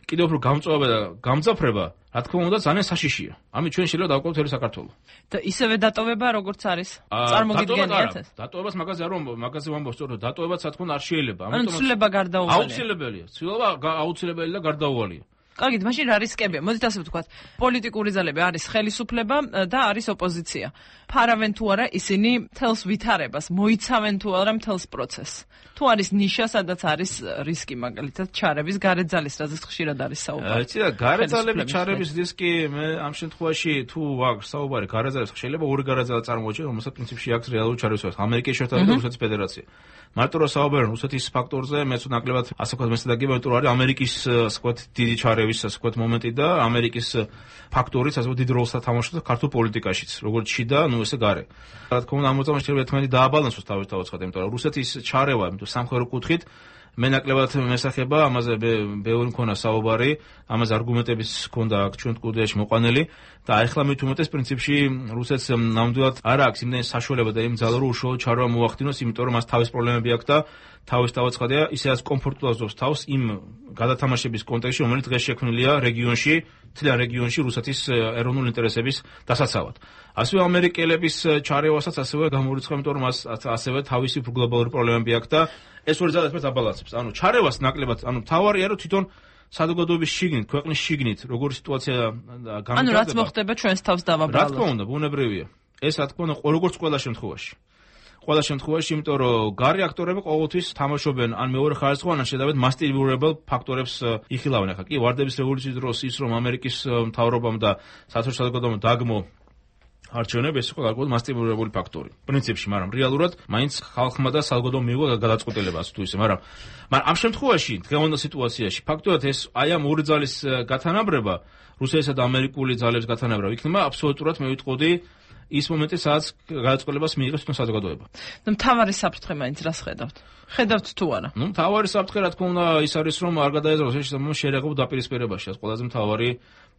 Speaker 4: კიდევ უფრო გამწვავება და გამძაფრება, რა თქმა უნდა, ძალიან საშიშია. ამით ჩვენ შეიძლება დავკავოთ ერი საქართველო.
Speaker 17: და ისევე დატოვება, როგორც არის. წარმოგიდგენიათ ეს?
Speaker 4: დატოვებას მაგაზე არ მაგაზე ვამბობ, სწორედ დატოვებაც რა თქმა უნდა არ შეიძლება.
Speaker 17: ამიტომ ცვლილება გარდაუვალია.
Speaker 4: აუცილებელია. ცვლილება აუცილებელი და გარდაუვალია.
Speaker 17: კარგით, მაშინ რა რისკებია? მოდით ასე ვთქვათ, პოლიტიკური ძალები არის ხელისუფლება და არის ოპოზიცია. ფარავენ თუ არა ისინი თელს ვითარებას, მოიცავენ თუ არა თელს პროცესს. თუ არის ნიშა, სადაც არის რისკი, მაგალითად, ჩარების გარეთ ძალის, რაზეც ხშირად არის საუბარი.
Speaker 4: იცი რა, გარეთ ძალების ჩარების რისკი მე ამ შემთხვევაში თუ ვაგ საუბარი გარეთ ძალებს შეიძლება ორი გარეთ ძალა წარმოუჩენ, რომელსაც პრინციპში აქვს რეალური ჩარევის ფაქტორი, ამერიკის შეერთებული და რუსეთის ფედერაცია. მარტო რა საუბარი რუსეთის ფაქტორზე, მეც ნაკლებად ასე ვთქვათ, მე სადაგება, იმიტომ რომ არის ამერიკის ასე ვთქვათ დიდი ჩარევის ასე ვთქვათ მომენტი და ამერიკის ფაქტორიც ასე ვთქვათ დიდ როლს თამაშობს ქართულ პოლიტიკაშიც, როგორც შიდა, ნუ ესე გარე. რა თქმა უნდა, ამ მოწამეში შეიძლება ერთმანეთი დააბალანსოს თავის თავაცხად, იმიტომ რომ რუსეთის ჩარევა, იმიტომ სამხედრო კუთხით მე ნაკლებად მესახება, ამაზე ბევრი მქონა საუბარი, ამაზე არგუმენტებიც ჰქონდა აქ ჩვენ სტუდიაში მოყვანილი და ახლა მით უმეტეს პრინციპში რუსეთს ნამდვილად არ აქვს იმდენი საშუალება და იმ ძალა რომ უშუალო ჩარევა მოახდინოს, იმიტომ რომ მას თავის პრობლემები აქვს და თავის თავაცხადია, ისედაც კომფორტულად ზობს თავს იმ გადათამაშების კონტექსტში, რომელიც დღეს შექმნილია რეგიონში, მთლიან რეგიონში რუსეთის ეროვნული ინტერესების დასაცავად. ასევე ამერიკელების ჩარევასაც ასევე გამორიცხა, იმიტომ რომ მას ასევე თავისი გლობალური პრობლემები აქვს და ეს ორი ძალა ერთმანეთს აბალანსებს. ანუ ჩარევას ნაკლებად, ანუ თავარია რომ თვითონ საზოგადოების შიგნით, ქვეყნის შიგნით, როგორი სიტუაცია გამოვიდა.
Speaker 17: ანუ რაც მოხდება ჩვენს თავს დავაბრალოთ.
Speaker 4: რა თქმა უნდა, ბუნებრივია. ეს რა თქმა უნდა, როგორც ყველა შემთხვევაში. ყველა შემთხვევაში, იმიტომ რომ გარე აქტორები ყოველთვის თამაშობენ ან მეორე ხარისხოვან, ან შედარებით მასტიბურებელ ფაქტორებს იხილავენ. ახლა კი ვარდების რევოლუციის დროს ის რომ ამერიკის მთავრობამ და საერთაშორისო საზოგადოებამ დაგმო არჩევნები, ეს იყო გარკვეული მასტიბურებული ფაქტორი. პრინციპში, მაგრამ რეალურად მაინც ხალხმა და საზოგადოებამ მიიღო გადაწყვეტილება ასე თუ ისე, მაგრამ მაგრამ ამ შემთხვევაში, დღევანდელ სიტუაციაში, ფაქტობრივად ეს აი ამ ორი ძალის გათანაბრება, რუსეთისა და ამერიკული ძალების გათანაბრება იქნება აბსოლუტურად მე ვიტყოდი ის მომენტი, სადაც გადაწყვეტილებას მიიღებს თვითონ საზოგადოება.
Speaker 17: ნუ მთავარი საფრთხე მაინც რას ხედავთ? ხედავთ თუ არა?
Speaker 4: ნუ მთავარი საფრთხე რა თქმა უნდა ის არის, რომ არ გადაეზროს ეს შეერაღებულ დაპირისპირებაში, ეს ყველაზე მთავარი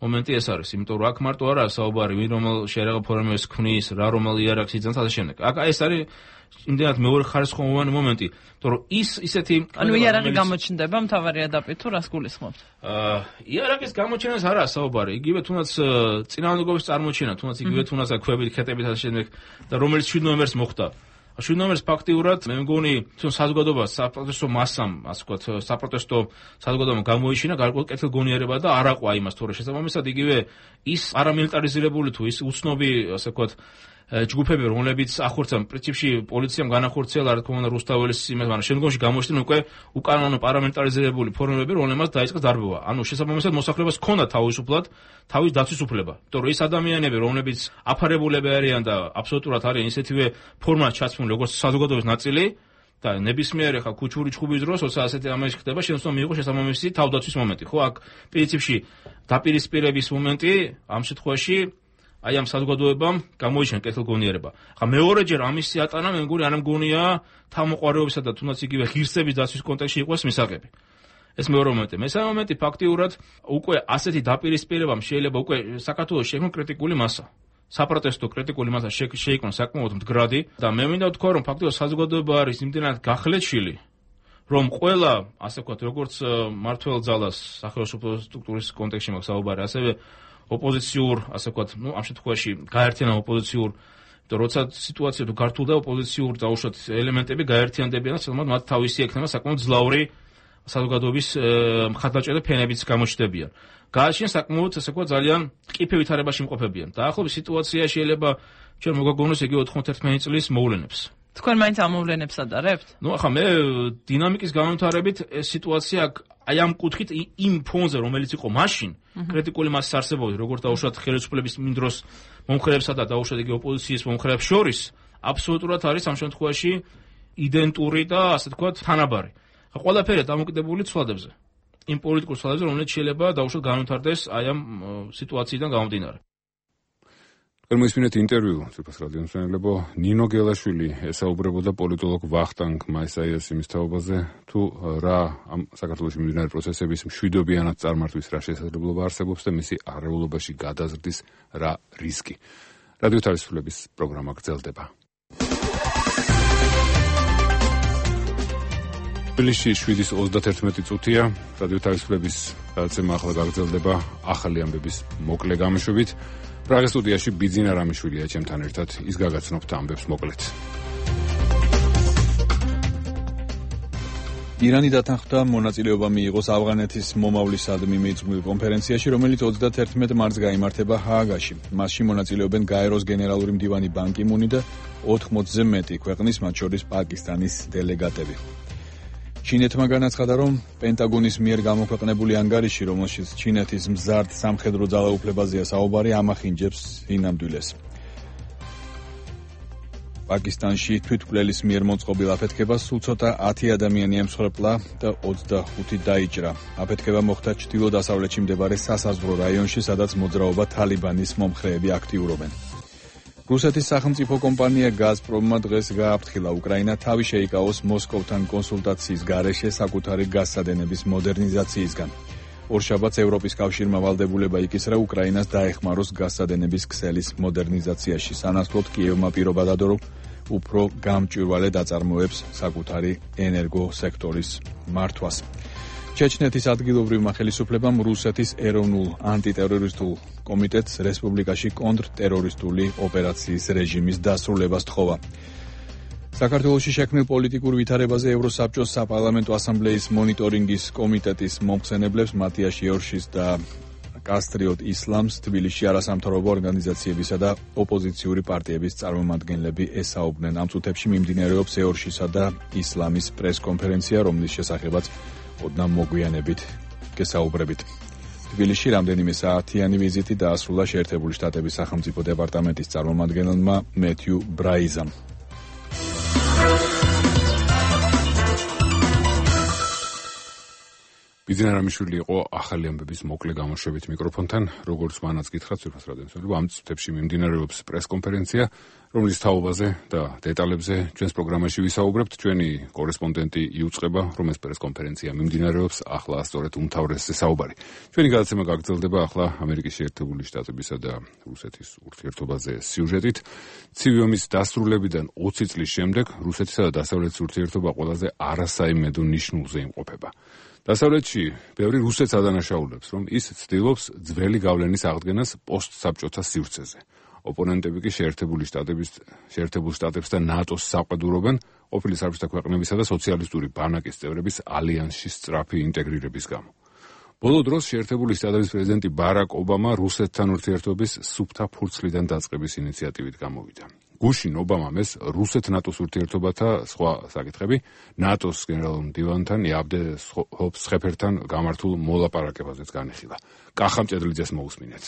Speaker 4: მომენტი ეს არის, იმიტომ რომ აქ მარტო არაა საუბარი, ვინ რომელ შეერაღებულ ფორმებს ქმნის, რა რომელ იარაღს იძენს ასე შემდეგ. აქ ეს არის იმდენად მეორე ხარისხოვანი მომენტი, იმიტომ რომ ის ისეთი
Speaker 17: ანუ იარაღი გამოჩნდება მთავარი ადაპტი თუ რას გულისხმობთ?
Speaker 4: აა იარაღის გამოჩენას არაა საუბარი, იგივე თუნდაც წინააღმდეგობის წარმოჩენა, თუნდაც იგივე თუნდაც ქვებით, ხეტებით ასე შემდეგ და რომელიც შვიდ ნოემბერს მოხდა. შვიდ ნომერს ფაქტიურად მე მგონი თვითონ საზოგადოებას საპროტესტო მასამ, ასე ვთქვათ, საპროტესტო საზოგადოებამ გამოიჩინა გარკვეული კეთილგონიერება და არ აყვა იმას თორე შესაბამისად იგივე ის არამილიტარიზირებული თუ ის უცნობი, ასე ვთქვათ, ჯგუფები, რომლებიც ახორცან პრინციპში პოლიციამ განახორციელა, რა თქმა უნდა, რუსთაველის იმას, მაგრამ შემდგომში გამოჩნდნენ უკვე უკანონო პარამილიტარიზირებული ფორმები, რომლებმაც დაიწყეს დარბოვა. ანუ შესაბამისად მოსახლეობას ჰქონდა თავისუფლად თავის დაცვის უფლება. იმიტომ რომ ის ადამიანები, რომლებიც აფარებულები არიან და აბსოლუტურად არიან ისეთივე ფორმად ჩაცმული, როგორც საზოგადოების ნაწილი და ნებისმიერ ხა ქუჩური ჩხუბის დროს, როცა ასეთი ამაში ხდება, შეიძლება მიიღოს შესაბამისი თავდაცვის მომენტი. ხო, აქ პრინციპში დაპირისპირების მომენტი ამ შემთხვევაში აი ამ საზოგადოებამ გამოიჩინა კეთილგონიერება. ხა მეორეჯერ ამისი ატანა მე მგონი არ მგონია თავმოყარეობისა და თუნდაც იგივე ღირსების დაცვის კონტექსტში იყოს მისაღები. ეს მეორე მომენტი. მესამე მომენტი ფაქტიურად უკვე ასეთი დაპირისპირებამ შეიძლება უკვე საქართველოს შექმნა კრიტიკული მასა. საპროტესტო კრიტიკული მასა შეიქმნა საკმაოდ მდგრადი და მე მინდა ვთქვა რომ ფაქტიურად საზოგადოება არის იმდენად გახლეჩილი რომ ყველა ასე ვთქვათ როგორც მართველ ძალას სახელმწიფო სტრუქტურის კონტექსტში მაქვს საუბარი, ასევე ოპოზიციურ, ასე ვთქვათ, ну, ამ შემთხვევაში გაერთიანა ოპოზიციურ, იმიტომ როცა სიტუაცია თუ გართულდა ოპოზიციურ დაუშვათ ელემენტები გაერთიანდებიან და თუმცა მათ თავისი ექნება საკმაოდ ძლავრი საზოგადოების მხარდაჭერა ფენებიც გამოჩნდებიან. გააჩნია საკმაოდ, ასე ვთქვათ, ძალიან ტკიფე ვითარებაში იმყოფებიან. და ახლობის სიტუაცია შეიძლება ჩვენ მოგაგონოს იგი ოთხმოცდაათი წლის მოვლენებს.
Speaker 17: თქვენ მაინც ამ მოვლენებს ადარებთ?
Speaker 4: ну, ახლა მე დინამიკის განვითარებით ეს სიტუაცია აი ამ კუთხით იმ ფონზე, რომელიც იყო მაშინ, კრიტიკული მასის არსებობით, როგორც დაუშვათ ხელისუფლების იმ დროს მომხრეებსა და დაუშვათ იგი ოპოზიციის მომხრეებს შორის, აბსოლუტურად არის ამ შემთხვევაში იდენტური და ასე ვთქვათ, თანაბარი. ხა ყველაფერი დამოკიდებული ცვლადებზე. იმ პოლიტიკურ ცვლადებზე, რომელიც შეიძლება დაუშვათ განვითარდეს აი ამ სიტუაციიდან გამომდინარე.
Speaker 1: მოისმინეთ ინტერვიუ ციფრ რადიოს მშენებლებო ნინო გელაშვილი ესაუბრებოდა პოლიტოლოგ ვახტანგ მაისაიას თაობაზე თუ რა ამ საქართველოში მიმდინარე პროცესების მშვიდობიანად წარმართვის რა შესაძლებლობა არსებობს და მისი არეულობაში გადაზრდის რა რისკი. რადიო თავისუფლების პროგრამა გრძელდება. თბილისში შვიდის ოცდათერთმეტი წუთია რადიო თავისუფლების გადაცემა ახლა გაგრძელდება ახალი ამბების მოკლე გამოშვებით. პრაღის სტუდიაში ბიძინა რამიშვილია ჩემთან ერთად, ის გაგაცნობთ ამბებს მოკლედ.
Speaker 2: ირანი დათანხმდა მონაწილეობა მიიღოს ავღანეთის მომავლისადმი მიძღვნილ კონფერენციაში, რომელიც ოცდათერთმეტ მარტს გაიმართება ჰააგაში. მასში მონაწილეობენ გაეროს გენერალური მდივანი ბან კი მუნი და ოთხმოცზე მეტი ქვეყნის, მათ შორის პაკისტანის დელეგატები. ჩინეთმა განაცხადა, რომ პენტაგონის მიერ გამოქვეყნებული ანგარიში, რომელშიც ჩინეთის მზარდ სამხედრო ძალაუფლებაზეა საუბარი, ამახინჯებს ინამდვილეს. პაკისტანში თვითმკვლელის მიერ მოწყობილ აფეთქებას სულ ცოტა ათი ადამიანი ემსხვერპლა და ოცდახუთი დაიჭრა. აფეთქება მოხდა ჩრდილო-დასავლეთში მდებარე სასაზღვრო რაიონში, სადაც მოძრაობა თალიბანის მომხრეები აქტიურობენ. რუსეთის სახელმწიფო კომპანია გაზპრომმა დღეს გააფრთხილა უკრაინა თავი შეიკავოს მოსკოვთან კონსულტაციის გარეშე საკუთარი გაზსადენების მოდერნიზაციისგან. ორშაბათს ევროპის კავშირმა ვალდებულება იკისრა უკრაინას დაეხმაროს გაზსადენების ქსელის მოდერნიზაციაში. სანაცვლოდ კიევმა პირობა დადო, რომ უფრო გამჭვირვალე დაწარმოებს საკუთარი ენერგო სექტორის მართვას. ჩეჩნეთის ადგილობრივმა ხელისუფლებამ რუსეთის ეროვნულ ანტიტერორისტულ კომიტეტს რესპუბლიკაში კონტრტერორისტული ოპერაციის რეჟიმის დასრულებას თხოვა. საქართველოში შექმნილ პოლიტიკურ ვითარებაზე ევროსაბჭოს საპარლამენტო ასამბლეის მონიტორინგის კომიტეტის მომხსენებლებს მატიაშ იორშის და კასტრიოტ ისლამს თბილისში არასამთავრობო ორგანიზაციებისა და ოპოზიციური პარტიების წარმომადგენლები ესაუბრნენ. ამ წუთებში მიმდინარეობს იორშისა და ისლამის პრესკონფერენცია, რომლის შესახებაც ოდნავ მოგვიანებით გესაუბრებით. თბილისში რამდენიმე საათიანი ვიზიტი დაასრულა შეერთებული შტატების სახელმწიფო დეპარტამენტის წარმომადგენელმა მეთიუ ბრაიზამ.
Speaker 1: ბიძინა რამიშვილი იყო ახალი ამბების მოკლე გამოშვებით მიკროფონთან, როგორც მანაც გითხრათ ციფრ რადიოს მშენებლო, ამ წუთებში მიმდინარეობს პრესკონფერენცია, რომლის თაობაზე და დეტალებზე ჩვენს პროგრამაში ვისაუბრებთ. ჩვენი კორესპონდენტი იუწყება, რომ ეს პრესკონფერენცია მიმდინარეობს, ახლა სწორედ უმთავრესზე საუბარი. ჩვენი გადაცემა გაგრძელდება ახლა ამერიკის შეერთებული შტატებისა და რუსეთის ურთიერთობაზე სიუჟეტით. ცივი ომის დასრულებიდან ოცი წლის შემდეგ რუსეთისა და დასავლეთის ურთიერთობა ყველაზე არასაიმედო ნიშნულზე იმყოფება. დასავლეთში ბევრი რუსეთს ადანაშაულებს, რომ ის ცდილობს ძველი გავლენის აღდგენას პოსტსაბჭოთა სივრცეზე. ოპონენტები კი შეერთებული შტატების შეერთებულ შტატებს და ნატოს საყვედურობენ ყოფილი საბჭოთა ქვეყნებისა და სოციალისტური ბანაკის წევრების ალიანსში სწრაფი ინტეგრირების გამო. ბოლო დროს შეერთებული შტატების პრეზიდენტი ბარაკ ობამა რუსეთთან ურთიერთობის სუფთა ფურცლიდან დაწყების ინიციატივით გამოვიდა. გუშინ ობამამ ეს რუსეთ-ნატოს ურთიერთობათა სხვა საკითხები ნატოს გენერალურ მდივანთან იაბდე ჰოფსხეფერთან გამართულ მოლაპარაკებაზეც განიხილა. კახამ ჭედლიძეს მოусმინეთ.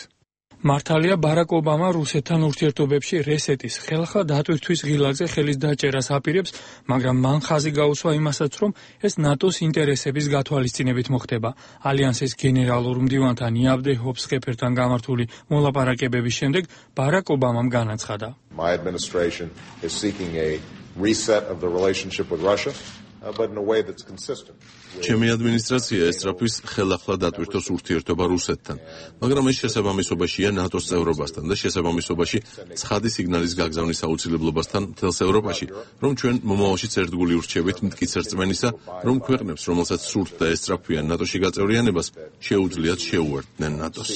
Speaker 10: მართალია ბარაკ ობამა რუსეთთან ურთიერთობებში რესეტის ხელხა დატვირთვის ღილაკზე ხელის დაჭერას აპირებს, მაგრამ მან ხაზი გაუსვა იმასაც, რომ ეს ნატოს ინტერესების გათვალისწინებით მოხდება. ალიანსის გენერალურ მდივანთან იაბდე ჰოფსხეფერთან გამართული მოლაპარაკებების შემდეგ ბარაკ ობამამ განაცხადა.
Speaker 18: My administration is seeking a reset of the relationship with Russia, uh, but in a way that's consistent.
Speaker 19: ჩემი ადმინისტრაცია ესწრაფვის ხელახლა დატვირთოს ურთიერთობა რუსეთთან, მაგრამ ეს შესაბამისობაშია ნატოს წევრობასთან და შესაბამისობაში ცხადი სიგნალის გაგზავნის აუცილებლობასთან მთელს ევროპაში, რომ ჩვენ მომავალშიც ერთგული ურჩევით მტკიცე რწმენისა, რომ ქვეყნებს, რომელსაც სურთ და ესწრაფვიან ნატოში გაწევრიანებას, შეუძლიათ შეუერთდნენ ნატოს.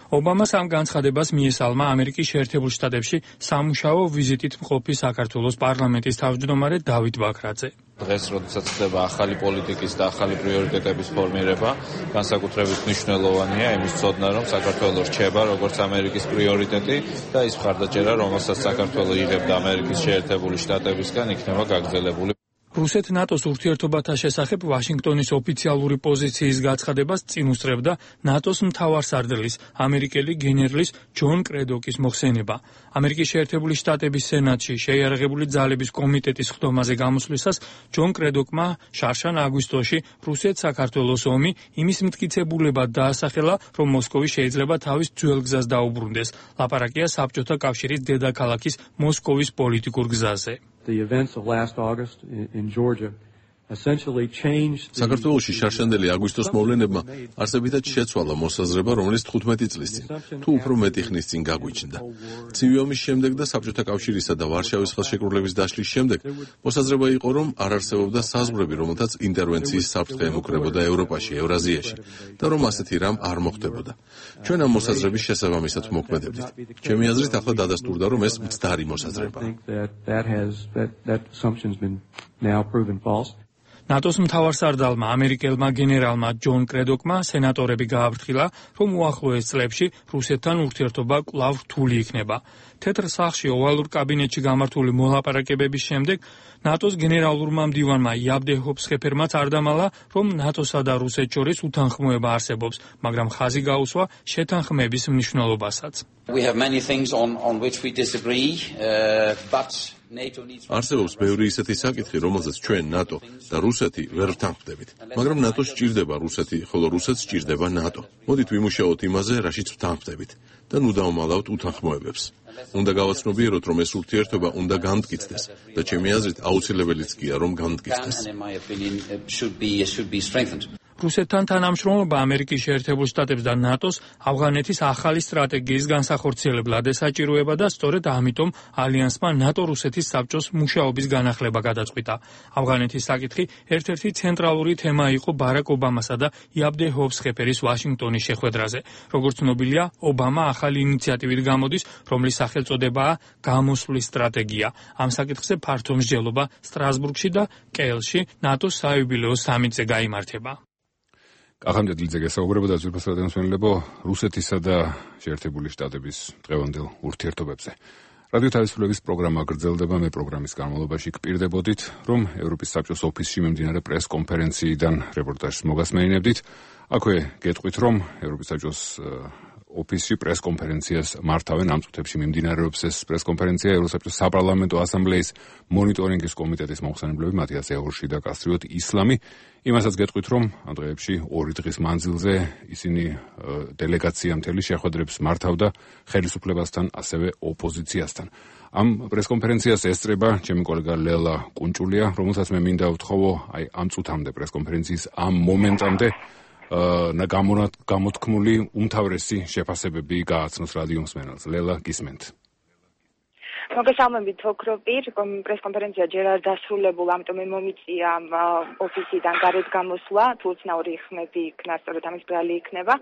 Speaker 10: ობამას ამ განცხადებას მიესალმა ამერიკის შეერთებულ შტატებში სამუშაო ვიზიტით მყოფი საქართველოს პარლამენტის თავმჯდომარე დავით ბაქრაძე.
Speaker 20: დღეს, როდესაც ხდება ახალი პოლიტიკის და ახალი პრიორიტეტების ფორმირება, განსაკუთრებით მნიშვნელოვანია იმის ცოდნა, რომ საქართველო რჩება როგორც ამერიკის პრიორიტეტი და ის მხარდაჭერა, რომელსაც საქართველო იღებდა ამერიკის შეერთებული შტატებისგან, იქნება გაგრძელებული.
Speaker 10: რუსეთ-ნატოს ურთიერთობათა შესახებ ვაშინგტონის ოფიციალური პოზიციის გაცხადებას წინ უსწრებდა ნატოს მთავარსარდლის, ამერიკელი გენერლის ჯონ კრედოკის მოხსენება. ამერიკის შეერთებული შტატების სენატში შეიარაღებული ძალების კომიტეტის ხდომაზე გამოსვლისას ჯონ კრედოკმა შარშან აგვისტოში რუსეთ-საქართველოს ომი იმის მტკიცებულებად დაასახელა, რომ მოსკოვი შეიძლება თავის ძველ გზას დაუბრუნდეს. ლაპარაკია საბჭოთა კავშირის დედაქალაქის მოსკოვის პოლიტიკურ გზაზე.
Speaker 21: The events of last August in, in Georgia essentially changed
Speaker 19: საქართველოში შარშანდელი აგვისტოს მოვლენებმა არსებითად შეცვალა მოსაზრება, რომელიც თხუთმეტი წლის წინ, თუ უფრო მეტი ხნის წინ გაგვიჩნდა. ცივი ომის შემდეგ და საბჭოთა კავშირისა და ვარშავის ხელშეკრულების დაშლის შემდეგ მოსაზრება იყო, რომ არ არსებობდა საზღვრები, რომელთაც ინტერვენციის საფრთხე ემუქრებოდა ევროპაში, ევრაზიაში და რომ ასეთი რამ არ მოხდებოდა. ჩვენ ამ მოსაზრების შესაბამისად მოქმედებდით. ჩემი აზრით, ახლა დადასტურდა, რომ ეს მცდარი მოსაზრებაა.
Speaker 10: ნატოს მთავარსარდალმა ამერიკელმა გენერალმა ჯონ კრედოკმა სენატორები გააფრთხილა, რომ უახლოეს წლებში რუსეთთან ურთიერთობა კვლავ რთული იქნება. თეთრ სახლში ოვალურ კაბინეტში გამართული მოლაპარაკებების შემდეგ ნატოს გენერალურმა მდივანმა იაბდე ჰოფსხეფერმაც არ დამალა, რომ ნატოსა და რუსეთს შორის უთანხმოება არსებობს, მაგრამ ხაზი გაუსვა შეთანხმების მნიშვნელობასაც.
Speaker 22: We have many things on on which we disagree, uh, but
Speaker 19: არსებობს ბევრი ისეთი საკითხი, რომელზეც ჩვენ ნატო და რუსეთი ვერ ვთანხმდებით. მაგრამ ნატოს სჭირდება რუსეთი, ხოლო რუსეთს სჭირდება ნატო. მოდით ვიმუშაოთ იმაზე, რაშიც ვთანხმდებით და ნუ დავმალავთ უთანხმოებებს. უნდა გავაცნობიეროთ, რომ ეს ურთიერთობა უნდა განმტკიცდეს და ჩემი აზრით აუცილებელიც გია, რომ განმტკიცდეს.
Speaker 10: რუსეთთან თანამშრომლობა ამერიკის შეერთებულ შტატებს და ნატოს ავღანეთის ახალი სტრატეგიის განსახორციელებლად ესაჭიროება და სწორედ ამიტომ ალიანსმა ნატო-რუსეთის საბჭოს მუშაობის განახლება გადაწყვიტა. ავღანეთის საკითხი ერთ-ერთი ცენტრალური თემა იყო ბარაკ ობამასა და იაბდე ჰოფსხეფერის ვაშინგტონის შეხვედრაზე. როგორც ცნობილია, ობამა ახალი ინიციატივით გამოდის, რომლის სახელწოდებაა გამოსვლის სტრატეგია. ამ საკითხზე ფართო მსჯელობა სტრასბურგში და კეილში ნატოს საიუბილეო სამიტზე გაიმართება.
Speaker 1: კახამ ჭედლიძე გესაუბრებოდა ზურფასადენსვენლებო რუსეთისა და შეერთებული შტატების დღევანდელ ურთიერთობებზე. რადიო თავისუფლების პროგრამა გრძელდება, მე პროგრამის განმავლობაში გპირდებოდით, რომ ევროპის საბჭოს ოფისში მიმდინარე პრეს-კონფერენციიდან რეპორტაჟს მოგასმენინებდით. აქვე გეტყვით, რომ ევროპის საბჭოს ოფისში პრეს-კონფერენციას მართავენ ამ წუთებში მიმდინარეობს ეს პრეს-კონფერენცია ევროსაბჭოს საპარლამენტო ასამბლეის მონიტორინგის კომიტეტის მომხსენებლები მათიას ეორში და კასტრიოტ ისლამი. იმასაც გეტყვით, რომ ამ დღეებში ორი დღის მანძილზე ისინი დელეგაცია მთელი შეხვედრებს მართავდა ხელისუფლებასთან, ასევე ოპოზიციასთან. ამ პრეს-კონფერენციას ესწრება ჩემი კოლეგა ლელა კუნჭულია, რომელსაც მე მინდა ვთხოვო აი ამ წუთამდე პრეს-კონფერენციის ამ მომენტამდე და გამოთქმული უმთავრესი შეფასებები გააცნოს რადიო მსმენელს. ლელა, გისმენთ.
Speaker 5: მოგესალმებით ოქროპირ, პრესკონფერენცია ჯერ არ დასრულებულა, ამიტომ მომიწია ოფისიდან გარეთ გამოსვლა, თუ უცნაური ხმები იქნა, სწორედ ამის ბრალი იქნება.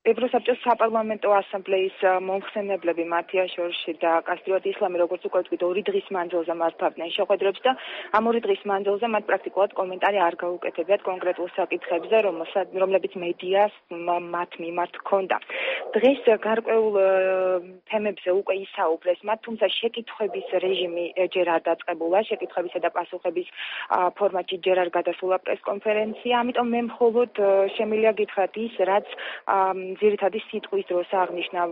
Speaker 5: ევროსაბჭოს საპარლამენტო ასამბლეის მომხსენებლები მათია შორში და კასტრიოტ ისლამი, როგორც უკვე ვთქვით, ორი დღის მანძილზე მართავდნენ შეხვედრებს და ამ ორი დღის მანძილზე მათ პრაქტიკულად კომენტარი არ გაუკეთებიათ კონკრეტულ საკითხებზე, რომლებიც მედიას მათ მიმართ ჰქონდა. დღეს გარკვეულ თემებზე უკვე ისაუბრეს მათ, თუმცა შეკითხვების რეჟიმი ჯერ არ დაწყებულა, შეკითხვებისა და პასუხების ფორმატში ჯერ არ გადასულა პრესკონფერენცია, ამიტომ მე მხოლოდ შემიძლია გითხრათ ის, რაც ძირითადი სიტყვის დროს აღნიშნა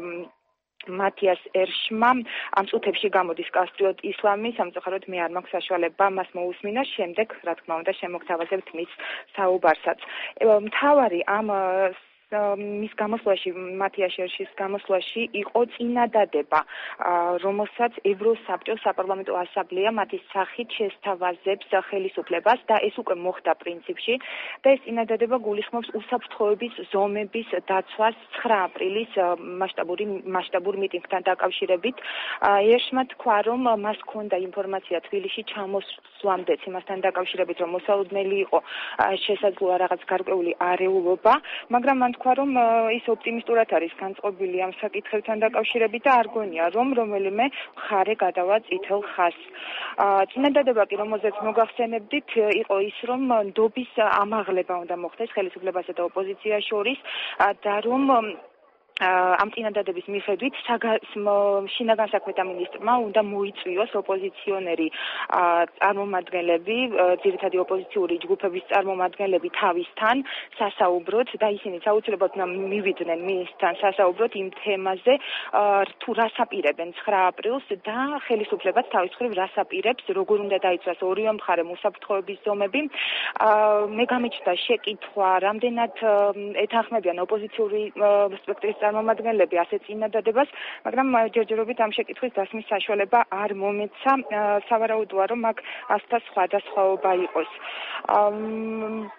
Speaker 5: მათიას ერშმა, ამ წუთებში გამოდის კასტრიოტ ისლამი, სამწუხაროდ მე არ მაქვს საშუალება მას მოусმინა, შემდეგ, რა თქმა უნდა, შემოგთავაზებთ მის საუბარსაც. მთავარი ამ მის გამოსვლაში, მათია შერშის გამოსვლაში იყო წინადადება, რომელსაც ევროსაბჭოს საპარლამენტო ასამბლეა მათი სახით შესთავაზებს ხელისუფლებას და ეს უკვე მოხდა პრინციპში და ეს წინადადება გულისხმობს უსაფრთხოების ზომების დაცვას ცხრა აპრილის მასშტაბური მასშტაბურ მიტინგთან დაკავშირებით. ერშმა თქვა, რომ მას ჰქონდა ინფორმაცია თბილისში ჩამოსვლამდეც იმასთან დაკავშირებით, რომ მოსალოდნელი იყო შესაძლოა რაღაც გარკვეული არეულობა, მაგრამ მან თქვა, რომ ის ოპტიმისტურად არის განწყობილი ამ საკითხებთან დაკავშირებით და არ გონია, რომ რომელიმე მხარე გადავა წითელ ხაზს. წინადადება კი, რომელზეც მოგახსენებდით, იყო ის, რომ ნდობის ამაღლება უნდა მოხდეს ხელისუფლებასა და ოპოზიციას შორის და რომ ამ წინადადების მიხედვით შინაგან საქმეთა მინისტრმა უნდა მოიწვიოს ოპოზიციონერი წარმომადგენლები, ძირითადი ოპოზიციური ჯგუფების წარმომადგენლები თავისთან სასაუბროთ და ისინი საუცილებლად მივიდნენ მისთან სასაუბროთ იმ თემაზე, თუ რას აპირებენ ცხრა აპრილს და ხელისუფლებაც თავის მხრივ რას აპირებს, როგორ უნდა დაიცვას ორივე მხარემ უსაფრთხოების ზომები. მე გამიჩნდა შეკითხვა, რამდენად ეთანხმებიან ოპოზიციური სპექტრის წარმომადგენლები ასეთ წინადადებას, მაგრამ ჯერჯერობით ამ შეკითხვის დასმის საშუალება არ მომეცა. სავარაუდოა, რომ აქ ასთა სხვადასხვაობა იყოს.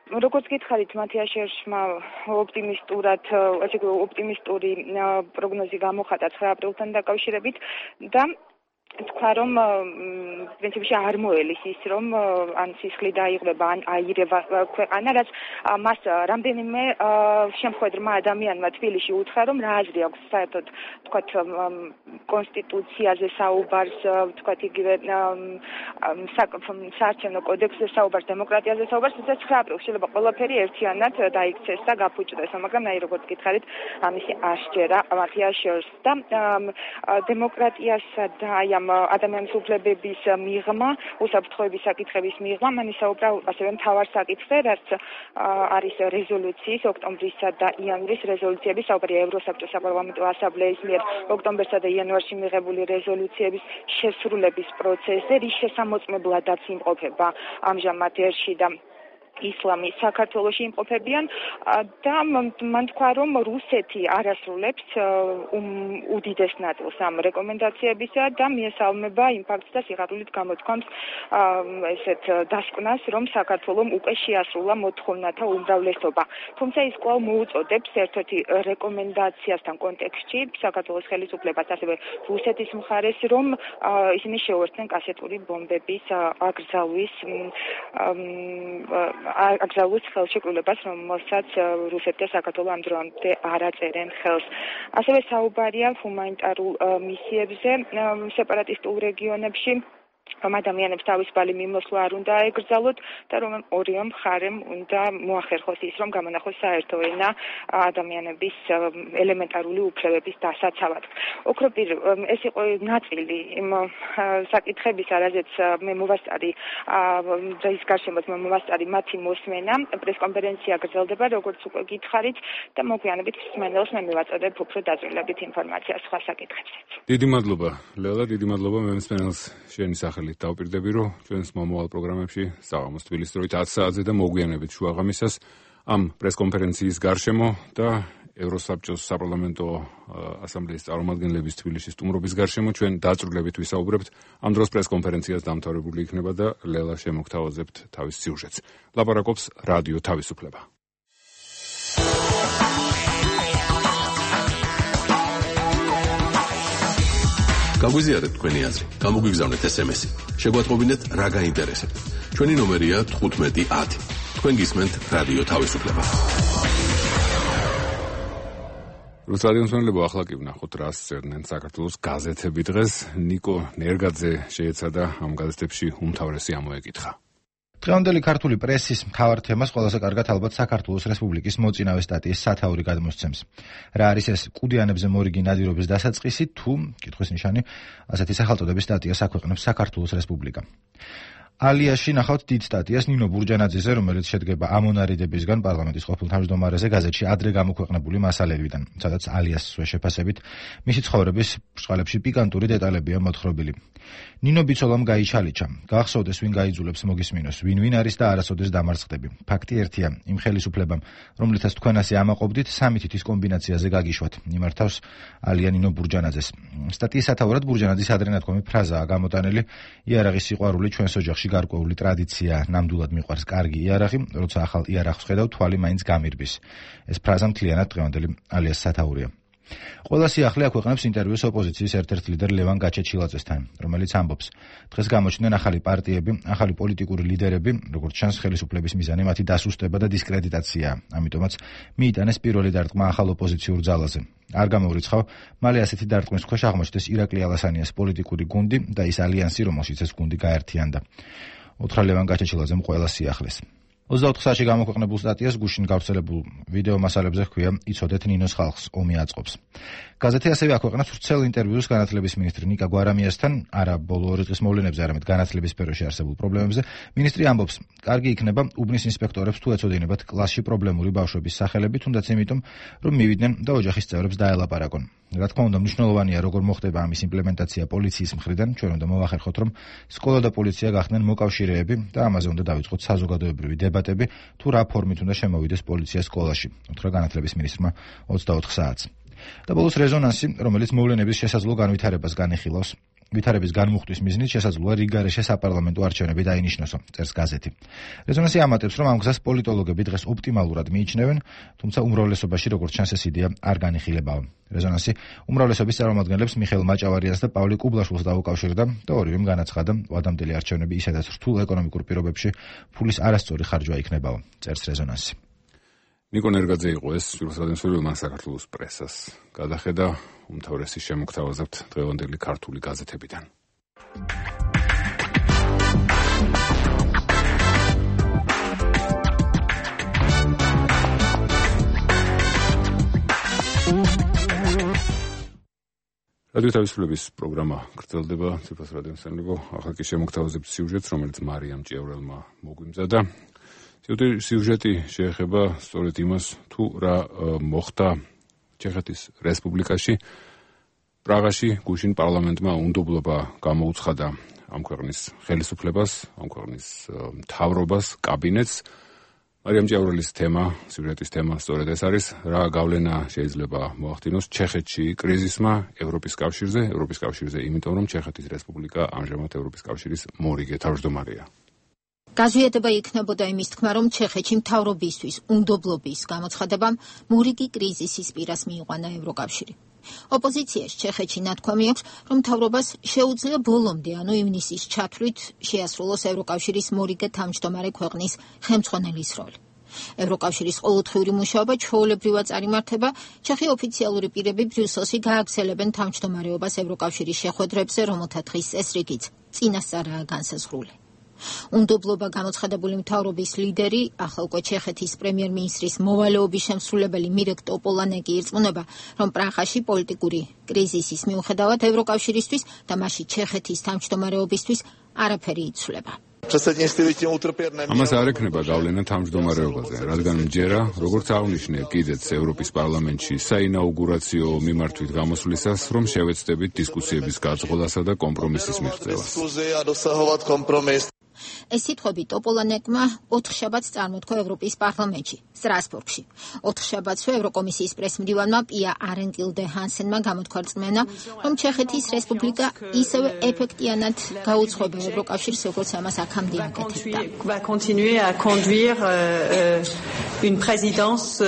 Speaker 5: როგორც გითხარით, მათია შერშმა ოპტიმისტურად, ასე ვთქვათ, ოპტიმისტური პროგნოზი გამოხატა ცხრა აპრილთან დაკავშირებით და თქვა, რომ პრინციპში არ მოელის ის, რომ ან სისხლი დაიღრება, ან აირება ქვეყანა, რაც მას რამდენიმე შემხედრმა ადამიანმა თბილისში უთხრა, რომ რა აზრი აქვს საერთოდ, თქვათ, კონსტიტუციაზე საუბარს, თქვათ, იგივე საარჩევნო კოდექსზე საუბარს, დემოკრატიაზე საუბარს, თუმცა ცხრა აპრილს შეიძლება ყველაფერი ერთიანად დაიქცეს და გაფუჭდეს, მაგრამ აი როგორც გითხარით, ამისი არ სჯერა მათია შერს და დემოკრატიასა და აი ამ ადამიანის უფლებების მიღმა, უსაფრთხოების საკითხების მიღმა, მან ისაუბრა ასევე მთავარ საკითხზე, რაც არის რეზოლუციის, ოქტომბრისა და იანვრის რეზოლუციების, საუბარია ევროსაბჭოს საპარლამენტო ასამბლეის მიერ ოქტომბერსა და იანვარში მიღებული რეზოლუციების შესრულების პროცესზე, რის შესამოწმებლადაც იმყოფება ამჟამად ერში და ისლამი საქართველოში იმყოფებიან და მან თქვა, რომ რუსეთი არ ასრულებს უდიდეს ნაწილს ამ რეკომენდაციებისა და მიესალმება იმ ფაქტს და სიხარულით გამოთქვამს ესეთ დასკვნას, რომ საქართველომ უკვე შეასრულა მოთხოვნათა უმრავლესობა. თუმცა ის კვლავ მოუწოდებს ერთ-ერთი რეკომენდაციასთან კონტექსტში საქართველოს ხელისუფლებას, ასევე რუსეთის მხარეს, რომ ისინი შეუერთდნენ კასეტური ბომბების აკრძალვის აკრძალვის ხელშეკრულებას, რომელსაც რუსეთი და საქართველო ამ დროამდე არ აწერენ ხელს. ასევე საუბარია ჰუმანიტარულ მისიებზე სეპარატისტულ რეგიონებში, რომ ადამიანებს თავისუფალი მიმოსვლა არ უნდა ეკრძალოთ და რომ ორივე მხარემ უნდა მოახერხოს ის, რომ გამონახოს საერთო ენა ადამიანების ელემენტარული უფლებების დასაცავად. ოქროპირ, ეს იყო ნაწილი იმ საკითხებისა, რაზეც მე მოვასწარი დღის გარშემოთ მე მოვასწარი მათი მოსმენა. პრესკონფერენცია გრძელდება, როგორც უკვე გითხარით და მოგვიანებით მსმენელს მე მივაწოდებ უფრო დაწვრილებით ინფორმაციას სხვა საკითხებზეც.
Speaker 1: დიდი მადლობა, ლელა, დიდი მადლობა მე მსმენელს შენი სახელით დავპირდები, რომ ჩვენს მომავალ პროგრამებში საღამოს თბილისის დროით ათი საათზე და მოგვიანებით შუაღამისას ამ პრესკონფერენციის გარშემო და ევროსაბჭოს საპარლამენტო ასამბლეის წარმომადგენლების თბილისში სტუმრობის გარშემო ჩვენ დაწვრილებით ვისაუბრებთ. ამ დროს პრესკონფერენციას დამთავრებული იქნება და ლელა შემოგთავაზებთ თავის სიუჟეტს. ლაპარაკობს რადიო თავისუფლება.
Speaker 19: გაგვიზიარეთ თქვენი აზრი, გამოგვიგზავნეთ ეს em es-ი. შეგვატყობინეთ რა გაინტერესებთ. ჩვენი ნომერია თხუთმეტი ათი. თქვენ გისმენთ რადიო თავისუფლება.
Speaker 1: რუსეთის მოსახლეობა ახლა კი ვნახოთ რას წერდნენ საქართველოს გაზეთები დღეს. ნიკო ნერგაძე შეეცადა ამ გაზეთებში უმთავრესი ამოეკითხა.
Speaker 7: დღევანდელი ქართული პრესის მთავარ თემას ყველაზე კარგად ალბათ საქართველოს რესპუბლიკის მოწინავე სტატიის სათაური გადმოსცემს. რა არის ეს კუდიანებზე მორიგი ნადირობის დასაწყისი თუ კითხვის ნიშანი ასეთი სახელწოდების სტატიას აქვეყნებს საქართველოს რესპუბლიკა. ალიაში ნახავთ დიდ სტატიას ნინო ბურჯანაძეზე, რომელიც შედგება ამონარიდებისგან პარლამენტის ყოფილ თავმჯდომარეზე გაზეთში ადრე გამოქვეყნებული მასალებიდან, სადაც ალიას შეფასებით მისი ცხოვრების ბრწყალებში პიკანტური დეტალებია მოთხრობილი. ნინო ბიცოლამ გაიჩალიჩა. გახსოვდეს ვინ გაიძულებს მოგისმინოს, ვინ ვინ არის და არასოდეს დამარცხდები. ფაქტი ერთია, იმ ხელისუფლებამ, რომლითაც თქვენ ასე ამაყობდით, სამი თითის კომბინაციაზე გაგიშვათ. იმართავს ალია ნინო ბურჯანაძეს. სტატიის სათაურად ბურჯანაძის ადრე ნათქვამი ფრაზაა გამოტანილი: იარაღის სიყვარული ჩვენს ოჯახში გარკვეული ტრადიცია, ნამდვილად მიყვარს კარგი იარაღი, როცა ახალ იარაღს ხედავ, თვალი მაინც გამირბის. ეს ფრაზა მთლიანად დღევანდელი ალიას სათაურია. ყველა სიახლე აქვეყნებს ინტერვიუს ოპოზიციის ერთ-ერთ ლიდერ ლევან გაჩეჩილაძესთან, რომელიც ამბობს: დღეს გამოჩნდნენ ახალი პარტიები, ახალი პოლიტიკური ლიდერები, როგორც ჩანს, ხელისუფლების მიზანი მათი დასუსტება და დისკრედიტაციაა. ამიტომაც მიიტანეს პირველი დარტყმა ახალ ოპოზიციურ ძალაზე. არ გამოვრიცხავ, მალე ასეთი დარტყმის ქვეშ აღმოჩნდეს ირაკლი ალასანიას პოლიტიკური გუნდი და ის ალიანსი, რომელშიც ეს გუნდი გაერთიანდა. უთხრა ლევან გაჩეჩილაძემ ყველა სიახლეს. ოცდაოთხ საათში გამოქვეყნებულ სტატიას გუშინ გავრცელებულ ვიდეო მასალებზე ჰქვია: იცოდეთ ნინოს ხალხს, ომი აწყობს. გაზეთი ასევე აქვეყნებს ვრცელ ინტერვიუს განათლების მინისტრი ნიკა გვარამიასთან, არა ბოლო ორი დღის მოვლენებზე, არამედ განათლების სფეროში არსებულ პრობლემებზე. მინისტრი ამბობს: კარგი იქნება უბნის ინსპექტორებს თუ ეწოდინებათ კლასში პრობლემური ბავშვების სახელები, თუნდაც იმიტომ, რომ მივიდნენ და ოჯახის წევრებს დაელაპარაკონ. რა თქმა უნდა, მნიშვნელოვანია, როგორ მოხდება ამის იმპლემენტაცია პოლიციის მხრიდან. ჩვენ უნდა მოვახერხოთ, რომ სკოლა და პოლიცია გახდნენ მოკავშირეები და ამაზე უნდა დავიწყოთ საზოგადოებრივი დებატები, თუ რა ფორმით უნდა შემოვიდეს პოლიცია სკოლაში. უთხრა განათლების მინისტრმა ოცდაოთხ საათს. და ბოლოს რეზონანსი, რომელიც მოვლენების შესაძლო განვითარებას განიხილავს. ვითარების განმუხტვის მიზნით შესაძლოა რიგგარეშე საპარლამენტო არჩევნები დაინიშნოსო, წერს გაზეთი. რეზონანსი ამატებს, რომ ამ გზას პოლიტოლოგები დღეს ოპტიმალურად მიიჩნევენ, თუმცა უმრავლესობაში, როგორც ჩანს, ეს იდეა არ განიხილებაა. რეზონანსი უმრავლესობის წარმომადგენლებს მიხეილ მაჭავარიანს და პავლე კუბლაშვილს დაუკავშირდა და ორივემ განაცხადა, ვადამდელი არჩევნები ისედაც რთულ ეკონომიკურ პირობებში ფულის არასწორი ხარჯვა იქნებაო, წერს რეზონანსი.
Speaker 1: ნიკო ნერგაძე იყო ეს რუსეთის მან საქართველოს პრესას გადახედა უმთავრესი შემოგთავაზებთ დღევანდელი ქართული გაზეთებიდან. რადიო თავისუფლების პროგრამა გრძელდება, ციფროს რადიო სამეფო, ახლა კი შემოგთავაზებთ სიუჟეტს, რომელიც მარიამ ჭიავრელმა მოგვიმზადა. სიუჟეტი შეეხება სწორედ იმას, თუ რა მოხდა ჩეხეთის რესპუბლიკაში. პრაღაში გუშინ პარლამენტმა უნდობლობა გამოუცხადა ამ ქვეყნის ხელისუფლებას, ამ ქვეყნის მთავრობას, კაბინეტს. მარიამ ჭიავრელის თემა, სიუჟეტის თემა სწორედ ეს არის, რა გავლენა შეიძლება მოახდინოს ჩეხეთში კრიზისმა ევროპის კავშირზე, ევროპის კავშირზე, იმიტომ რომ ჩეხეთის რესპუბლიკა ამჟამად ევროპის კავშირის მორიგე თავმჯდომარეა.
Speaker 8: გაზვიადება იქნებოდა იმის თქმა, რომ ჩეხეთში მთავრობისთვის უნდობლობის გამოცხადებამ მორიგი კრიზისის პირას მიიყვანა ევროკავშირი. ოპოზიციაში ჩეხეთში ნათქვამი აქვს, რომ მთავრობას შეუძლია ბოლომდე, ანუ ივნისის ჩათვლით შეასრულოს ევროკავშირის მორიგე თავმჯდომარე ქვეყნის ხელმძღვანელის როლი. ევროკავშირის ყოველდღიური მუშაობა ჩვეულებრივად წარიმართება, ჩეხი ოფიციალური პირები ბრიუსელში გააგრძელებენ თავმჯდომარეობას ევროკავშირის შეხვედრებზე, რომელთა დღის წესრიგიც წინასწარაა განსაზღვრული. უნდობლობა გამოცხადებული მთავრობის ლიდერი, ახლა უკვე ჩეხეთის პრემიერ-მინისტრის მოვალეობის შემსრულებელი მირეკ ტოპოლანეკი ირწმუნება, რომ პრაღაში პოლიტიკური კრიზისის მიუხედავად ევროკავშირისთვის და მასში ჩეხეთის თავმჯდომარეობისთვის არაფერი იცვლება.
Speaker 1: ამას არ ექნება გავლენა თავმჯდომარეობაზე, რადგან მჯერა, როგორც აღნიშნე კიდეც ევროპის პარლამენტში საინაუგურაციო მიმართვით გამოსვლისას, რომ შევეცდებით დისკუსიების გაწყობასა და კომპრომისის მიღწევას.
Speaker 8: ეს სიტყვები ტოპოლანეკმა ოთხშაბათს წარმოთქვა ევროპის პარლამენტში, სტრასბურგში. ოთხშაბათსვე ევროკომისიის პრესმდივანმა პია არენკილდე ჰანსენმა გამოთქვა რწმენა, რომ ჩეხეთის რესპუბლიკა ისევე ეფექტიანად გაუძღვება ევროკავშირს, როგორც ამას აქამდე აკეთებდა.
Speaker 6: Va continuer à conduire une présidence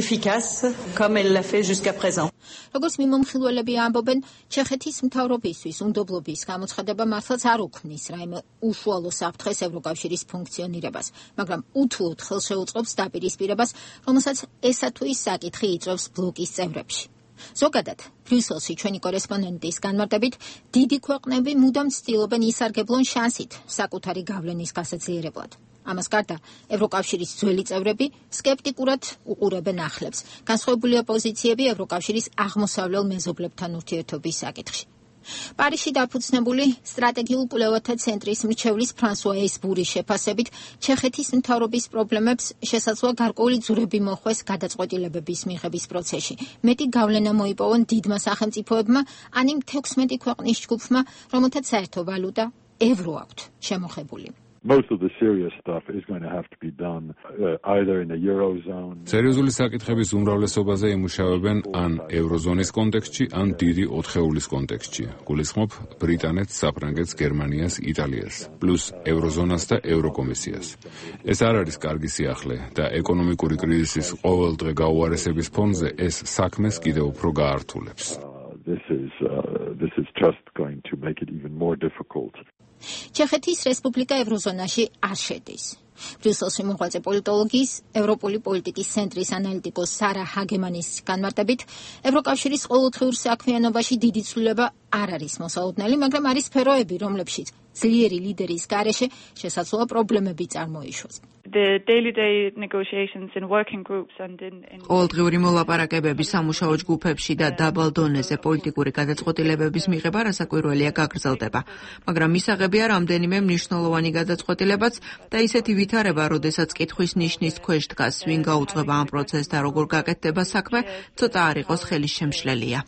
Speaker 6: efficace comme elle l'a fait jusqu'à présent.
Speaker 8: როგორც მიმომხილველები ამბობენ, ჩეხეთის მთავრობისთვის უნდობლობის გამოცხადება მართლაც არ უქმნის რაიმე უშუალო საფრთხეს ევროკავშირის ფუნქციონირებას, მაგრამ უთუოდ ხელშეუწყობს დაპირისპირებას, რომელსაც ესა თუ ის საკითხი იწვევს ბლოკის წევრებში. ზოგადად, ბრიუსელში ჩვენი კორესპონდენტის განმარტებით, დიდი ქვეყნები მუდამ ცდილობენ ისარგებლონ შანსით საკუთარი გავლენის გასაძლიერებლად. ამას გარდა, ევროკავშირის ძველი წევრები სკეპტიკურად უყურებენ ახლებს განსხვავებული ოპოზიციები ევროკავშირის აღმოსავლელ მეზობლებთან ურთიერთობის საკითხში. პარიზში დაფუძნებული სტრატეგიულ კვლევათა ცენტრის მრჩევლის ფრანსუა ესბურის შეფასებით, ჩეხეთის მთავრობის პრობლემებს შესაძლოა გარკვეული ძვრები მოხვეს გადაწყვეტილებების მიღების პროცესში. მეტი გავლენა მოიპოვონ დიდმა სახელმწიფოებმა, ან იმ თექვსმეტი ქვეყნის ჯგუფმა, რომელთაც საერთო ვალუტა ევრო აქვთ შემოღებული.
Speaker 9: Most of the serious stuff is going to have to be done uh, either in the eurozone.
Speaker 1: სერიოზული საკითხების უმრავლესობაზე იმუშავებენ ან ევროზონის კონტექსტში, ან დიდი ოთხეულის კონტექსტში. გულისხმობ ბრიტანეთს, საფრანგეთს, გერმანიას, იტალიას, პლუს ევროზონას და ევროკომისიას. ეს არ არის კარგი სიახლე და ეკონომიკური კრიზისის ყოველდღე გაუარესების ფონზე ეს საქმეს კიდევ უფრო გაართულებს.
Speaker 9: This is uh, this is just going to make it even more difficult.
Speaker 8: ჩეხეთის რესპუბლიკა ევროზონაში არ შედის. ბრიუსელში მოღვაწე პოლიტოლოგის, ევროპული პოლიტიკის ცენტრის ანალიტიკოს სარა ჰაგემანის განმარტებით, ევროკავშირის ყოველდღიურ საქმიანობაში დიდი ცვლილება არ არის მოსალოდნელი, მაგრამ არის სფეროები, რომლებშიც ძლიერი ლიდერის გარეშე შესაძლოა პრობლემები წარმოიშვას.
Speaker 23: The daily day negotiations in working groups and in
Speaker 24: ყოველდღიური მოლაპარაკებები სამუშაო ჯგუფებში და დაბალ დონეზე პოლიტიკური გადაწყვეტილებების მიღება რასაკვირველია გაგრძელდება, მაგრამ მისაღებია რამდენიმე მნიშვნელოვანი გადაწყვეტილებაც და ისეთი ვითარება, როდესაც კითხვის ნიშნის ქვეშ დგას, ვინ გაუძღვება ამ პროცესს და როგორ გაკეთდება საქმე, ცოტა არ იყოს ხელისშემშლელია.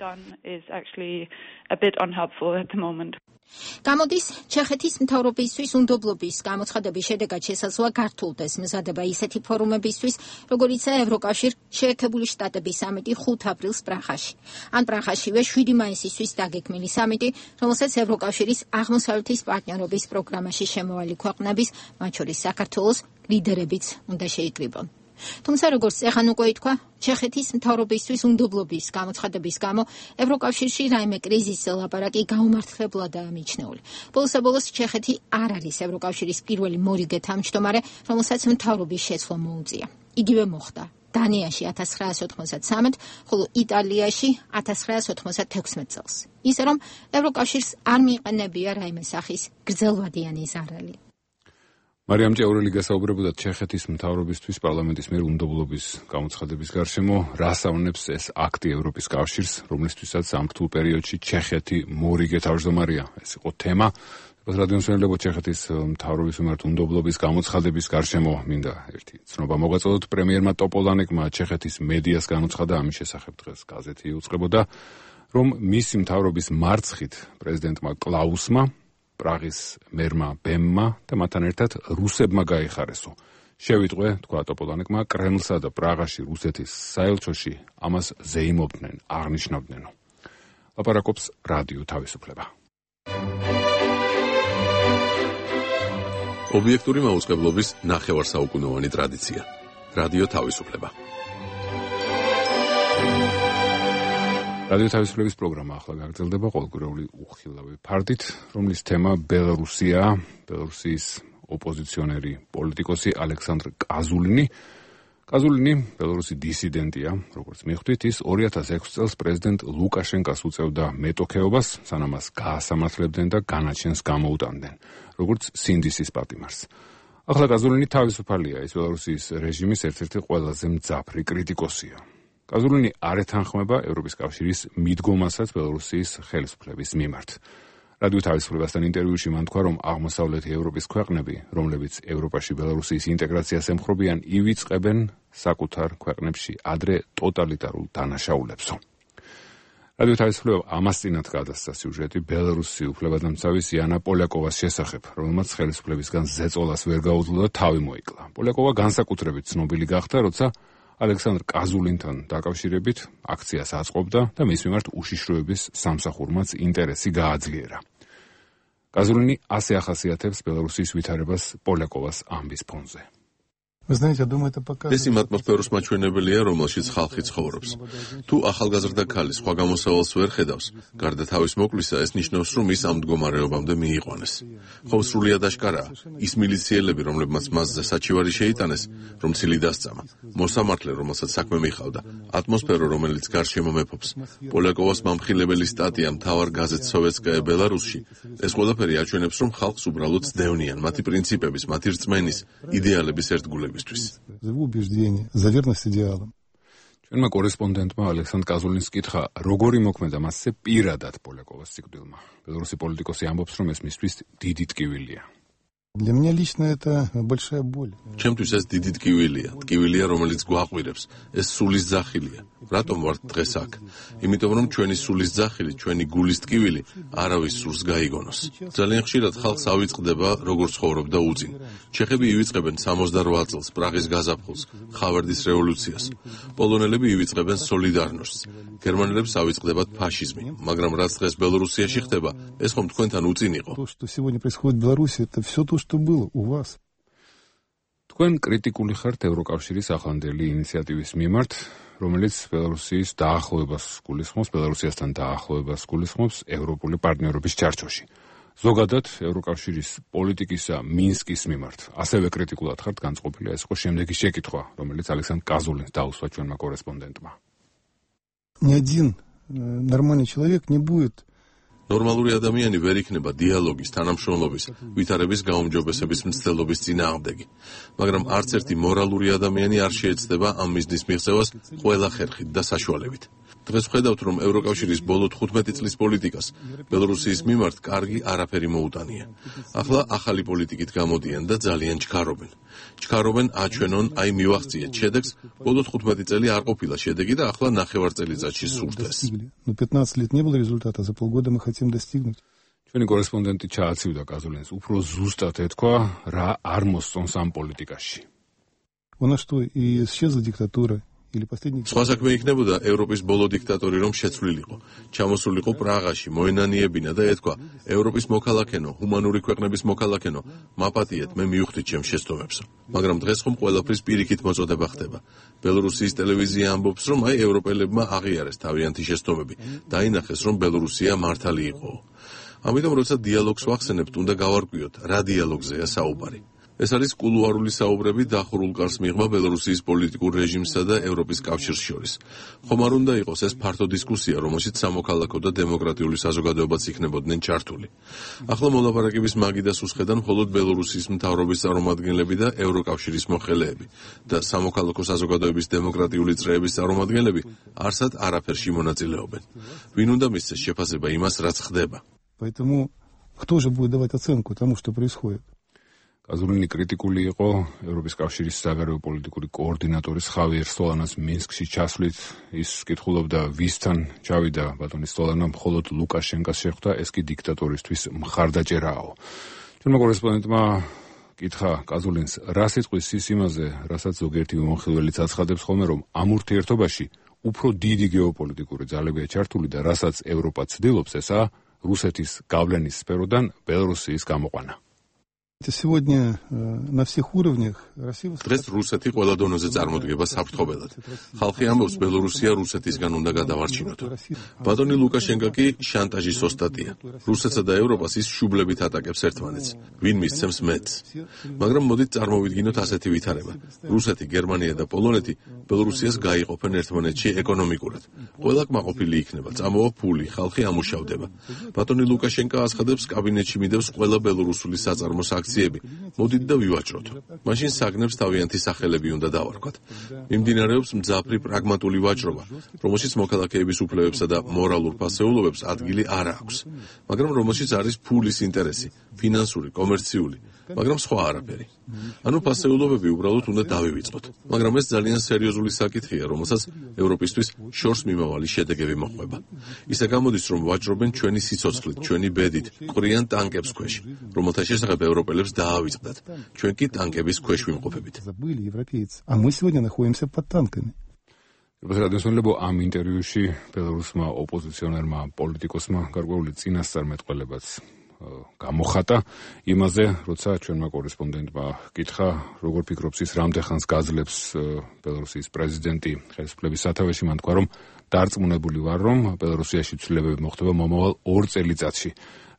Speaker 8: გამოდის, ჩეხეთის მთავრობისთვის უნდობლობის გამოცხადების შედეგად შესაძლოა გართულდეს მზადება ისეთი ფორუმებისთვის, როგორიცაა ევროკავშირ შეერთებული შტატების სამიტი ხუთი აპრილს პრაღაში. ან პრაღაშივე შვიდი მაისისთვის დაგეგმილი სამიტი, რომელსაც ევროკავშირის აღმოსავლეთის პარტნიორობის პროგრამაში შემოვალი ქვეყნების, მათ შორის საქართველოს ლიდერებიც უნდა შეიკრიბონ. თუმცა როგორც ეხან უკვე ითქვა, ჩეხეთის მთავრობისთვის უნდობლობის გამოცხადების გამო ევროკავშირში რაიმე კრიზისზე ლაპარაკი გაუმართლებლადაა მიჩნეული. ბოლოსაბოლოს ჩეხეთი არ არის ევროკავშირის პირველი მორიგე თავმჯდომარე, რომელსაც მთავრობის შეცვლა მოუწია. იგივე მოხდა დანიაში ათას ცხრაასი ოთხმოცდათსამეტ, ხოლო იტალიაში ათას ცხრაასი ოცდათექვსმეტ წელს. ისე რომ ევროკავშირს არ მიიყენებია რაიმე სახის გრძელვადიანი ზარალი.
Speaker 1: მარიამ ჭეურელი გასაუბრებოდა ჩეხეთის მთავრობისთვის პარლამენტის მიერ უნდობლობის გამოცხადების გარშემო, რას ავნებს ეს აქტი ევროპის კავშირს, რომლისთვისაც ამ რთულ პერიოდში ჩეხეთი მორიგე თავმჯდომარეა. ეს იყო თემა. რადიომსმენელებო, ჩეხეთის მთავრობის მიმართ უნდობლობის გამოცხადების გარშემო მინდა ერთი ცნობა მოგაწოდოთ. პრემიერმა ტოპოლანეკმა ჩეხეთის მედიას განუცხადა ამის შესახებ, დღეს გაზეთი უწყებოდა, რომ მისი მთავრობის მარცხით პრეზიდენტმა კლაუსმა, პრაღის მერმა ბემმა და მათთან ერთად რუსებმა გაიხარესო. შევიტყვე, თქვა ტოპოლანეკმა, კრემლსა და პრაღაში რუსეთის საელჩოში ამას ზეიმობდნენ, აღნიშნავდნენო. ლაპარაკობს რადიო თავისუფლება.
Speaker 19: ობიექტური მაუწყებლობის ნახევარსაუკუნოვანი ტრადიცია. რადიო თავისუფლება. რადიო თავისუფლების პროგრამა ახლა გაგრძელდება ყოველკვირეული უხილავი ფარდით, რომლის თემა ბელარუსია, ბელარუსის ოპოზიციონერი პოლიტიკოსი ალექსანდრ კაზულინი. კაზულინი ბელარუსი დისიდენტია, როგორც მიხვდით, ის ორი ათას ექვსი წელს პრეზიდენტ ლუკაშენკას უწევდა მეტოქეობას, სანამ მას გაასამართლებდნენ და განაჩენს გამოუტანდნენ, როგორც სინდისის პატიმარს. ახლა კაზულინი თავისუფალია, ის ბელარუსის რეჟიმის ერთ-ერთი ყველაზე მძაფრი კრიტიკოსია. კაზულინი არ ეთანხმება ევროპის კავშირის მიდგომასაც ბელარუსის ხელისუფლების მიმართ. რადიო თავისუფლებასთან ინტერვიუში მან თქვა, რომ აღმოსავლეთი ევროპის ქვეყნები, რომლებიც ევროპაში ბელარუსის ინტეგრაციას ემხრობიან, ივიწყებენ საკუთარ ქვეყნებში ადრე ტოტალიტარულ დანაშაულებსო.
Speaker 1: რადიო თავისუფლება ამას წინათ გადასცა სიუჟეტი ბელარუსი უფლებადამცავის იანა პოლიაკოვას შესახებ, რომელმაც ხელისუფლებისგან ზეწოლას ვერ გაუძლო და თავი მოიკლა. პოლიაკოვა განსაკუთრებით ცნობილი გახდა, როცა ალექსანდრ კაზულინთან დაკავშირებით აქციას აწყობდა და მის მიმართ უშიშროების სამსახურმაც ინტერესი გააძლიერა. კაზულინი ასე ახასიათებს ბელარუსის ვითარებას პოლიაკოვას ამბის ფონზე.
Speaker 19: ეს იმ ატმოსფეროს მაჩვენებელია, რომელშიც ხალხი ცხოვრობს. თუ ახალგაზრდა ქალი სხვა გამოსავალს ვერ ხედავს, გარდა თავის მოკლისა, ეს ნიშნავს, რომ ის ამ მდგომარეობამდე მიიყვანეს. ხომ სრულიად აშკარაა, ის მილიციელები, რომლებმაც მასზე საჩივარი შეიტანეს, რომ ცილი დასწამა, მოსამართლე, რომელსაც საქმე მიჰყავდა, ატმოსფერო, რომელიც გარშემო მეფობს, პოლიაკოვას მამხილებელი სტატია მთავარ გაზეთ სოვეტსკაია ბელარუსში, ეს ყველაფერი აჩვენებს, რომ ხალხს უბრალოდ სდევნიან მათი პრინციპების, მათი რწმენის, იდეალების ერთგულების.
Speaker 1: ჩვენმა კორესპონდენტმა ალექსანდრ კაზულინის კითხა, როგორი მოქმედა მასზე პირადად პოლიაკოვას სიკვდილმა. ბელარუსი პოლიტიკოსი ამბობს, რომ ეს მისთვის დიდი ტკივილია.
Speaker 3: Для меня лично это большая боль.
Speaker 19: ჩემთვის ეს დიდი ტკივილია, ტკივილია, რომელიც გვაყვირებს. ეს სულის ძახილია. რატომ ვართ დღეს აქ? იმიტომ რომ ჩვენი სულის ძახილი, ჩვენი გულის ტკივილი არავის სურს გაიგონოს. ძალიან ხშირად ხალხს ავიწყდება, როგორ ცხოვრობდა უწინ. ჩეხები ივიწყებენ სამოცდაოთხ წელს პრაღის გაზაფხულს, ხავერდის რევოლუციას. პოლონელები ივიწყებენ სოლიდარნოსს. გერმანელებს ავიწყდებათ ფაშიზმი, მაგრამ რაც დღეს ბელორუსიაში ხდება, ეს ხომ თქვენთან უწინ იყო.
Speaker 3: То, что сегодня происходит в Беларуси, это все то, что было у вас.
Speaker 1: თქვენ კრიტიკული ხართ ევროკავშირის ახლანდელი ინიციატივის მიმართ, რომელიც ბელარუსის დაახლოებას გულისხმობს, ბელარუსიასთან დაახლოებას გულისხმობს ევროპული პარტნიორობის ჩარჩოში. ზოგადად ევროკავშირის პოლიტიკისა მინსკის მიმართ ასევე კრიტიკულად ხართ განწყობილი. ეს იყო შემდეგი შეკითხვა, რომელიც ალექსანდრ კაზულინს დაუსვა ჩვენმა კორესპონდენტმა.
Speaker 3: Ни один нормальный человек не будет
Speaker 19: ნორმალური ადამიანი ვერ იქნება დიალოგის, თანამშრომლობის, ვითარების გაუმჯობესების მცდელობის წინააღმდეგი, მაგრამ არც ერთი მორალური ადამიანი არ შეეცდება ამ მიზნის მიღწევას ყველა ხერხით და საშუალებით. დღეს ვხედავთ, რომ ევროკავშირის ბოლო თხუთმეტი წლის პოლიტიკას ბელორუსიის მიმართ კარგი არაფერი მოუტანია. ახლა ახალი პოლიტიკით გამოდიან და ძალიან ჩქარობენ. ჩქარობენ აჩვენონ, აი მივახციეთ შედეგს, ბოლო თხუთმეტი წელი არ ყოფილა შედეგი და ახლა ნახევარწელიწადში სურთ ეს.
Speaker 3: Но пятнадцать лет не было результата, за полгода мы хотим достигнуть.
Speaker 1: ჩვენი კორესპონდენტი ჩააცივდა კაზულინს, უფრო ზუსტად ეთქვა, რა არ მოსწონს ამ პოლიტიკაში.
Speaker 3: У нас что, и исчезла диктатура?
Speaker 19: სხვა საქმე იქნებოდა ევროპის ბოლო დიქტატორი რომ შეცვლილიყო, ჩამოსულიყო პრაღაში, მოენანიებინა და ეთქვა, ევროპის მოქალაქენო, ჰუმანური ქვეყნების მოქალაქენო, მაპატიეთ, მე მივხვდით ჩემს შეცდომებსო. მაგრამ დღეს ხომ ყველაფრის პირიქით მოწოდება ხდება. ბელორუსიის ტელევიზია ამბობს, რომ აი ევროპელებმა აღიარეს თავიანთი შეცდომები, დაინახეს, რომ ბელორუსია მართალი იყო. ამიტომ როცა დიალოგს ვახსენებთ, უნდა გავარკვიოთ, რა დიალოგზეა საუბარი. ეს არის კულუარული საუბრები დახურულ კარს მიღმა ბელორუსიის პოლიტიკურ რეჟიმსა და ევროპის კავშირს შორის. ხომ არ უნდა იყოს ეს ფართო დისკუსია, რომელშიც სამოქალაქო და დემოკრატიული საზოგადოებაც იქნებოდნენ ჩართული. ახლა მოლაპარაკების მაგიდას უსხედან მხოლოდ ბელორუსიის მთავრობის წარმომადგენლები და ევროკავშირის მოხელეები და სამოქალაქო საზოგადოების დემოკრატიული წრეების წარმომადგენლები არსად არაფერში მონაწილეობენ. ვინ უნდა მისცეს შეფასება იმას, რაც ხდება?
Speaker 3: Поэтому кто же будет давать оценку тому, что происходит?
Speaker 1: კაზულინი კრიტიკული იყო ევროპის კავშირის საგარეო პოლიტიკური კოორდინატორის ხავიერ სტოლანას მინსკში ჩასვლით. ის კითხულობდა, ვისთან ჩავიდა ბატონი სტოლანა, მხოლოდ ლუკაშენკას შეხვდა, ეს კი დიქტატორისთვის მხარდაჭერაო. ჩვენმა კორესპონდენტმა კითხა კაზულინს, რა სიტყვის ის იმაზე, რასაც ზოგიერთი მომხილველიც აცხადებს ხოლმე, რომ ამ ურთიერთობაში უფრო დიდი გეოპოლიტიკური ძალებია ჩართული და რასაც ევროპა ცდილობს, ესაა რუსეთის გავლენის სფეროდან ბელორუსიის გამოყვანა.
Speaker 3: Сегодня на всех уровнях Россия
Speaker 19: დღეს რუსეთი ყველა დონეზე წარმოდგება საფრთხობელად. ხალხი ამბობს, ბელორუსია რუსეთისგან უნდა გადავარჩინოთ. ბატონი ლუკაშენკა კი შანტაჟის ოსტატია. რუსეთსა და ევროპას ის შუბლებით ატაკებს ერთმანეთს. ვინ მისცემს მეტს. მაგრამ მოდით წარმოვიდგინოთ ასეთი ვითარება. რუსეთი, გერმანია და პოლონეთი ბელორუსიას გაიყოფენ ერთმანეთში ეკონომიკურად. ყველა კმაყოფილი იქნება, წამოვა ფული, ხალხი ამუშავდება. ბატონი ლუკაშენკა აცხადებს, კაბინეტში მიდევს ყველა ბელორუსული საწარმოს აქციები. მოდით და ვივაჭროთ. მაშინ საგნებს თავიანთი სახელები უნდა დავარქვათ. მიმდინარეობს მძაფრი პრაგმატული ვაჭრობა, რომელშიც მოქალაქეების უფლებებსა და მორალურ ფასეულობებს ადგილი არ აქვს, მაგრამ რომელშიც არის ფულის ინტერესი, ფინანსური, კომერციული, მაგრამ სხვა არაფერი. ანუ ფასეულობები უბრალოდ უნდა დავივიწყოთ. მაგრამ ეს ძალიან სერიოზული საკითხია, რომელსაც ევროპისთვის შორს მიმავალი შედეგები მოყვება. ისე გამოდის, რომ ვაჭრობენ ჩვენი სიცოცხლით, ჩვენი ბედით, ყრიან ტანკებს ქვეშ, რომელთა შესახებ ევროპელებს დაავიწყდათ. ჩვენ კი ტანკების ქვეშ ვიმყოფებით.
Speaker 3: А мы сегодня находимся под танками.
Speaker 1: როდესაც ამ ინტერვიუში ბელარუსმა ოპოზიციონერმა პოლიტიკოსმა გარკვეული წინასწარმეტყველებაც გამოხატა იმაზე, როცა ჩვენმა კორესპონდენტმა კითხა, როგორ ფიქრობს ის, რამდენ ხანს გაძლებს ბელარუსის პრეზიდენტი ხელისუფლების სათავეში. მან თქვა, რომ დარწმუნებული ვარ, რომ ბელარუსიაში ცვლილებები მოხდება მომავალ ორ წელიწადში,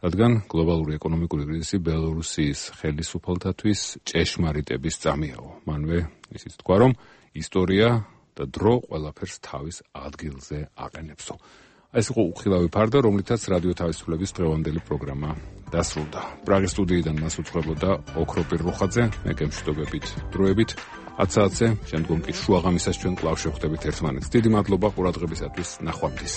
Speaker 1: რადგან გლობალური ეკონომიკური კრიზისი ბელარუსის ხელისუფალთათვის ჭეშმარიტების წამიაო. მანვე ისიც თქვა, რომ ისტორია და დრო ყველაფერს თავის ადგილზე აყენებსო. ეს იყო უხილავი ფარდა, რომლითაც რადიო თავისუფლების დღევანდელი პროგრამა დასრულდა. პრაღის სტუდიიდან მას უწყებოდა ოქროპირ როხაძე, მე გემშვიდობებით დროებით ათ საათზე, შემდგომ კი შუაღამისას ჩვენ კვლავ შევხვდებით ერთმანეთს. დიდი მადლობა ყურადღებისათვის, ნახვამდის.